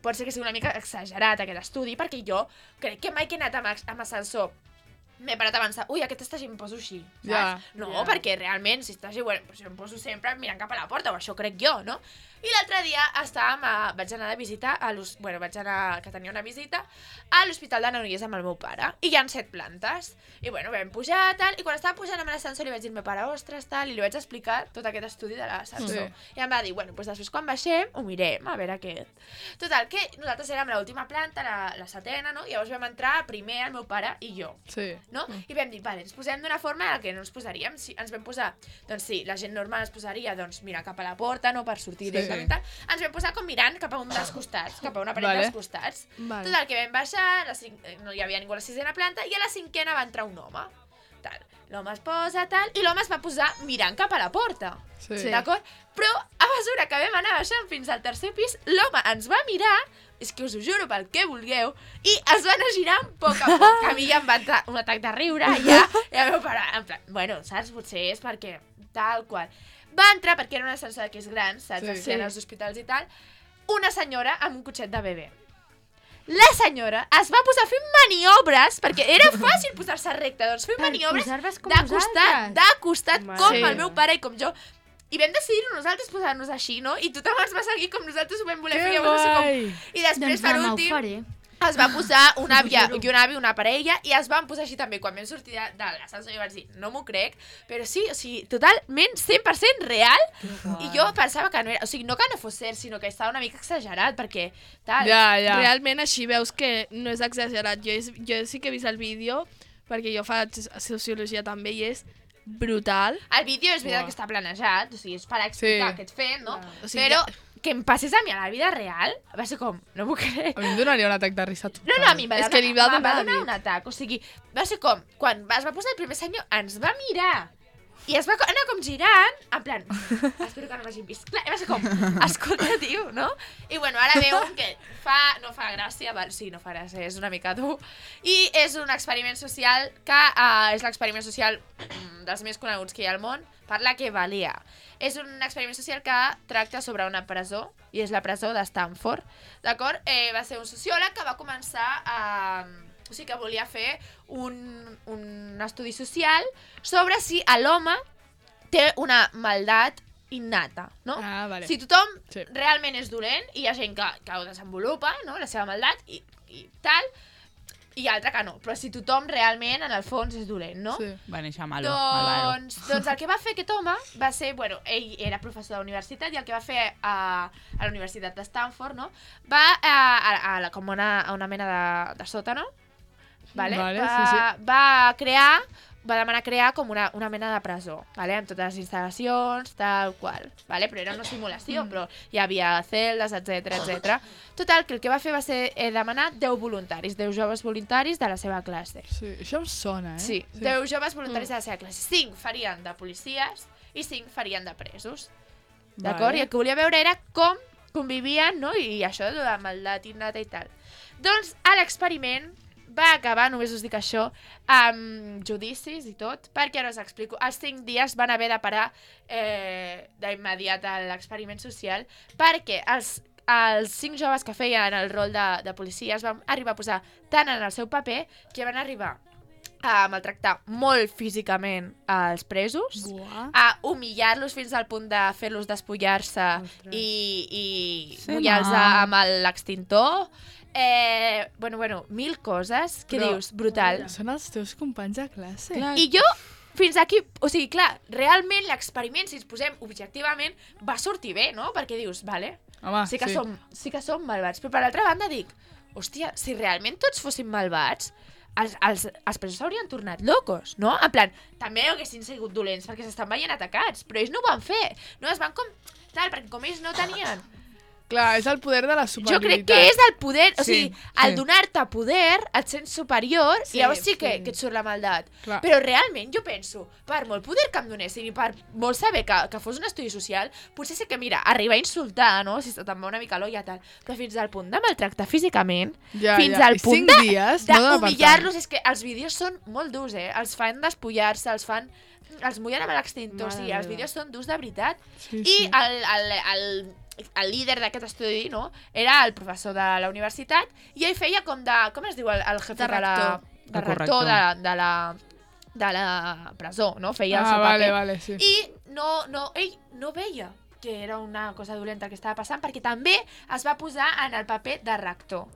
pot ser que sigui una mica exagerat aquest estudi, perquè jo crec que mai que he anat amb, amb ascensor m'he parat a pensar, ui, aquest estagi em poso així, saps? Ja, no, ja. perquè realment, si estagi, bueno, pues jo em poso sempre mirant cap a la porta, o això crec jo, no? I l'altre dia estàvem a, vaig anar de visita, a bueno, vaig anar, que tenia una visita, a l'Hospital de Granollers amb el meu pare, i hi ha set plantes. I bueno, vam pujar, tal, i quan estava pujant amb l'ascensor li vaig dir al meu pare, ostres, tal, i li vaig explicar tot aquest estudi de l'ascensor. Sí. I em va dir, bueno, doncs després quan baixem, ho mirem, a veure què. Total, que nosaltres érem a l'última planta, la, la setena, no? I llavors vam entrar primer el meu pare i jo, Sí. no? I vam dir, vale, ens posem d'una forma en la que no ens posaríem, si ens vam posar, doncs sí, la gent normal es posaria, doncs, mirant cap a la porta, no?, per sortir Sí. directament, tal. Ens vam posar com mirant cap a un dels costats, cap a una paret Vale. dels costats. Vale. Total, que vam baixar, la cinc... no hi havia ningú a la sisena planta, i a la cinquena va entrar un home. Tal. L'home es posa, tal, i l'home es va posar mirant cap a la porta. Sí. Sí. D'acord? Però a mesura que vam anar baixant fins al tercer pis, l'home ens va mirar, és que us ho juro pel que vulgueu, i es va anar girant a poc a poc. A mi ja em va entrar un atac de riure, i ja, i el meu pare, en plan, bueno, saps, potser és perquè tal qual. Va entrar, perquè era un ascensor d'aquells grans, saps, Sí. sí, sí. als hospitals i tal, una senyora amb un cotxet de bebè. La senyora es va posar fent maniobres, perquè era fàcil posar-se recte, doncs fent Per maniobres posar-vos com de costat, vosaltres. de costat, Mare com meva. el meu pare i com jo. I vam decidir nosaltres posar-nos així, no? I tothom ens va seguir com nosaltres ho vam voler fer. Que llavors, no sé guai! com... I després, Doncs per demà ho últim, faré. es va posar una àvia i un avi, una parella, i es van posar així també. Quan vam sortir de, de l'ascensor, jo vaig dir, no m'ho crec, però sí, o sigui, totalment cent per cent real, i jo pensava que no era, o sigui, no que no fos cert, sinó que estava una mica exagerat, perquè tal... Ja, ja. Realment així veus que no és exagerat. Jo, és, jo sí que he vist el vídeo, perquè jo faig sociologia també, i és brutal. El vídeo és veritat Uah. que està planejat, o sigui, és per explicar Sí. què et fem, no? O sigui, Però que em passés a mi a la vida real, va ser com, no m'ho crec. A mi em donaria un atac de risa total. No, no, a mi em va, És donar- que li va em va donar donar nit. un atac, o sigui, va ser com, quan es va posar el primer senyor, ens va mirar, i es va co- anar com girant, en plan, espero que no m'hagin vist, clar, i va ser com, escolta, tio, no? I bueno, ara veu que fa, no fa gràcia, val, sí, no fa gràcia, és una mica dur, i és un experiment social que uh, és l'experiment social mm, dels més coneguts que hi ha al món, per la que valia. És un experiment social que tracta sobre una presó, i és la presó de Stanford, d'acord? Eh, va ser un sociòleg que va començar a... O sigui, que volia fer un, un estudi social sobre si l'home té una maldat innata, no? Ah, vale. Si tothom Sí. realment és dolent, i hi ha gent que, que ho desenvolupa, no?, la seva maldat, i, i tal, i altra que no. Però si tothom realment, en el fons, és dolent, no? Sí. Va néixer malo, malvado. Doncs, doncs el que va fer aquest home va ser, bueno, ell era professor de la universitat, i el que va fer a, a la Universitat de Stanford, no?, va a, a, a, la, com una, a una mena de, de sòtano, vale? Vale, va, sí, sí. va crear, va demanar crear com una, una mena de presó, vale? Amb totes les instal·lacions, tal qual, vale? Però era una simulació, però hi havia celdes, etc etc. Total, que el que va fer va ser eh, demanar deu voluntaris, deu joves voluntaris de la seva classe. Sí, això em sona, eh? Sí, deu joves voluntaris de la seva classe. cinc farien de policies i cinc farien de presos. D'acord? Vale. I el que volia veure era com convivien, no? I això de la maldat innata i tal. Doncs a l'experiment va acabar, només us dic això, amb judicis i tot, perquè ara us explico. Els cinc dies van haver de parar eh, d'immediat a l'experiment social, perquè els, els cinc joves que feien el rol de, de policies van arribar a posar tant en el seu paper que van arribar a maltractar molt físicament als presos, Buah. a humillar-los fins al punt de fer-los despullar-se i, i Sí, mullar-los no. amb l'extintor. Eh, bueno, bueno, mil coses que Però- dius, brutal. Són els teus companys de classe. Clar, I jo, fins aquí, o sigui, clar, realment l'experiment, si ens posem objectivament, va sortir bé, no? Perquè dius, vale, Home, sí que, sí. Som, sí que som malvats, però per l'altra banda dic, hòstia, si realment tots fóssim malvats, els, els, els presos s'haurien tornat locos, no? En plan, també haguessin sigut dolents perquè s'estan veient atacats, però ells no ho van fer, no? Es van com... Tal, perquè com ells no tenien Clar, és el poder de la Jo superioritat. crec que és el poder, o Sí, sigui, al sí. donar-te poder et sents superior Sí, i llavors sí que, sí. que et surt la maldat. Clar. Però realment jo penso, per molt poder que em donessin i per molt saber que, que fos un estudi social, potser sí que, mira, arribar a insultar, no?, si te'n va una mica l'olla, tal, però fins al punt de maltractar físicament, Ja, fins ja. al I punt cinc de- dies, no dona per d'humillar-los, és que els vídeos són molt durs, eh? Els fan despullar-se, els fan... Els mullen amb l'extintor, o sigui, els vídeos són durs de veritat. Sí, I sí. el, el, el, el líder d'aquest estudi, no?, era el professor de la universitat i ell feia com de... Com es diu el, el jefe De de, la... rector. De De rector de, corrector. de, la, de la presó, no? Feia el Ah, seu vale, paper. vale, sí. I no, no, ell no veia que era una cosa dolenta que estava passant perquè també es va posar en el paper de rector.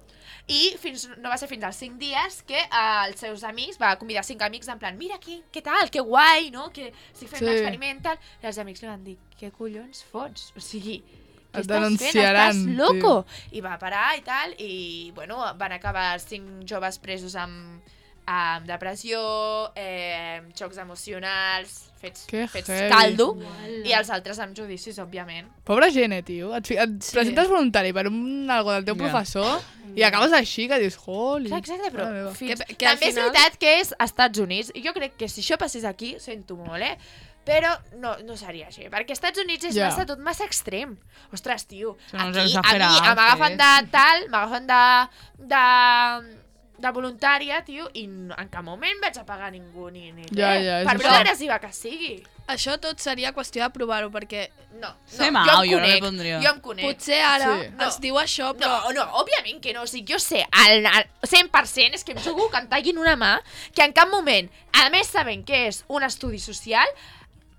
I fins, no va ser fins als cinc dies que eh, els seus amics, va convidar cinc amics en plan, mira aquí, què tal, que guai, no? Que estic fent Sí. un experiment, tal. I els amics li van dir, què collons fots? O sigui, què Et estàs fent? denunciaran, Estàs loco? I va parar i tal, i bueno, van acabar cinc joves presos amb, amb depressió, eh, xocs emocionals, fets, Que fets heavy. caldo, i els altres amb judicis, òbviament. Pobra gent, eh, tio. Et, fi- et Sí. presentes voluntari per un algo del teu Ja. professor i acabes així, que dius, holy. Clar, exacte, però Mare meva. fins... Que- que al també és final- veritat que és als Estats Units, i jo crec que si això passés aquí, sento molt, eh? Però no, no seria així, perquè als Estats Units és Ja. massa, tot massa extrem. Ostres, tio, Són uns aquí a mi exagerats, m'agafen eh? de tal, m'agafen de, de, de voluntària, tio, i n- en cap moment vaig a pagar ningú ni, ni Ja, res. ja, és per això. molt agressiva que sigui. Això tot seria qüestió de provar-ho, perquè No, no, Sí, jo mau, em jo no conec, m'hi pondria. jo em conec. potser ara Sí. ens diu això, però... No, no, òbviament que no. O sigui, jo sé al, al cent per cent, és que em jugo que em tallin una mà, que en cap moment, a més sabent que és un estudi social,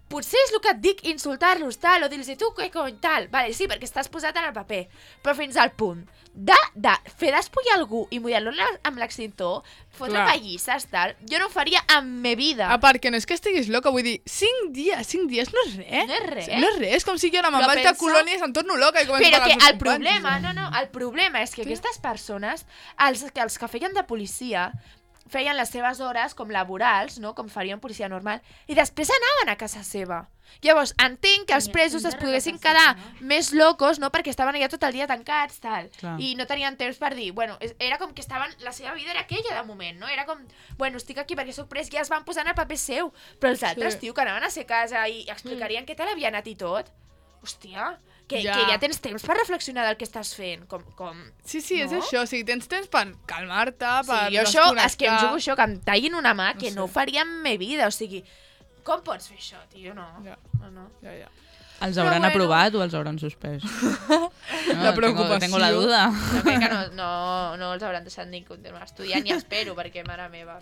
potser és el que et dic, insultar-los, tal, o dir-los, tu, què cony, tal. Vale, sí, perquè estàs posat en el paper. Però fins al punt de, de fer despullar algú i mullar-lo amb l'extintor, fotre Clar. pallisses, tal, jo no ho faria en me vida. A part que no és que estiguis loca, vull dir, cinc dies, cinc dies no és res. No és res. No és res, és com si jo ara me'n Però vaig de pensa- colònies, em torno loca i començo Però a pagar que els meus el companys. problema, no, no, el problema és que aquestes persones, els, que els que feien de policia, feien les seves hores com laborals, no? Com faria un policia normal, i després anaven a casa seva. Llavors, entenc que els Tenien presos temps es de poguessin relaxar-se, quedar més locos, no? Perquè estaven allà tot el dia tancats, tal. Clar. I no tenien temps per dir, bueno, és- era com que estaven, la seva vida era aquella de moment, no? Era com, bueno, estic aquí perquè sóc pres, ja es van posar en el paper seu. Però els altres, Sí. tio, que anaven a ser casa i explicarien què tal havia anat i tot. Hòstia, que Ja. ja. que ja tens temps per reflexionar del que estàs fent, com... com... Sí, sí, és No? això, o sigui, tens temps per calmar-te, per Sí, jo això, desconnectar. és que em jugo això, que em tallin una mà, que No sé. no, ho faria en me vida, o sigui, com pots fer això, tio? No, Ja. no, no. Ja, ja. Els Però hauran bueno. aprovat o els hauran suspès? No, La preocupació. Tengo, tengo la duda. Jo crec que no, no, no els hauran deixat ni continuar estudiant, ni espero, perquè mare meva.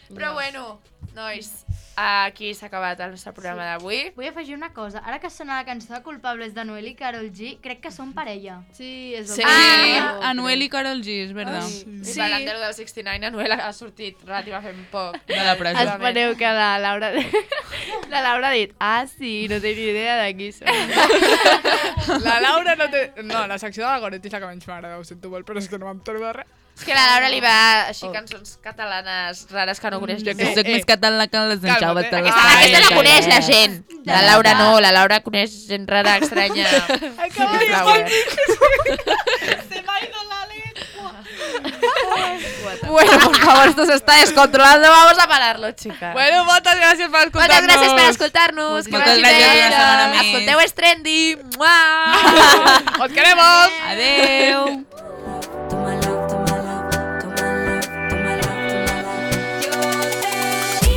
Però bueno, nois, aquí s'ha acabat el nostre programa d'avui. Vull afegir una cosa. Ara que sona la cançó de Culpables de Noel i Karol G, crec que són parella. Sí, és Sí. el Ah, Anuel i Karol G, és veritat. I Sí. parlant de lo del seixanta nou, Anuel ha sortit relativament poc. De la presó. Espereu que la Laura... La Laura ha dit, ah, sí, no té ni idea de qui són. La Laura no té... No, la secció de la Goretti és la que menys m'agrada, ho sento molt, però és que no m'entero de res. És que la Laura li va així cançons catalanes rares que no coneix Jo ningú. que soc eh. més català que les Calma't, enxaves. eh. Aquesta, aquesta la coneix la gent. La Laura no, la Laura coneix gent rara, estranya. Acabo de flower. Se m'ha ido la lengua. Bueno, por favor, esto se está descontrolando. Vamos a pararlo, chicas. Bueno, moltes gràcies per escoltar-nos. Moltes gràcies per escoltar-nos. Que Moltes vagi gràcies, bé. una setmana més. Escolteu És Trendy. Mua! Os queremos. Adeu. Toma love, toma love, toma love, toma love, toma love. Yo te di,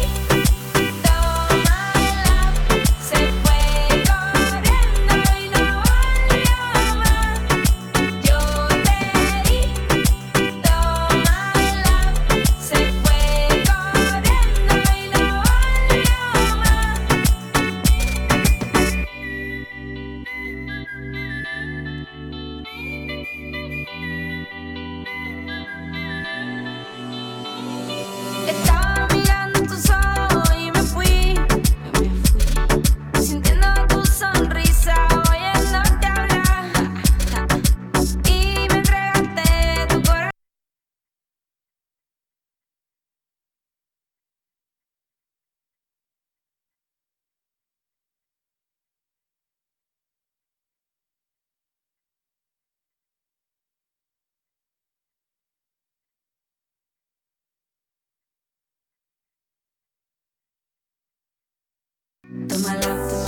toma love. Se fue corriendo y no volvió más. Yo te di, toma love. Se fue corriendo y no volvió más. Tómala, tómala.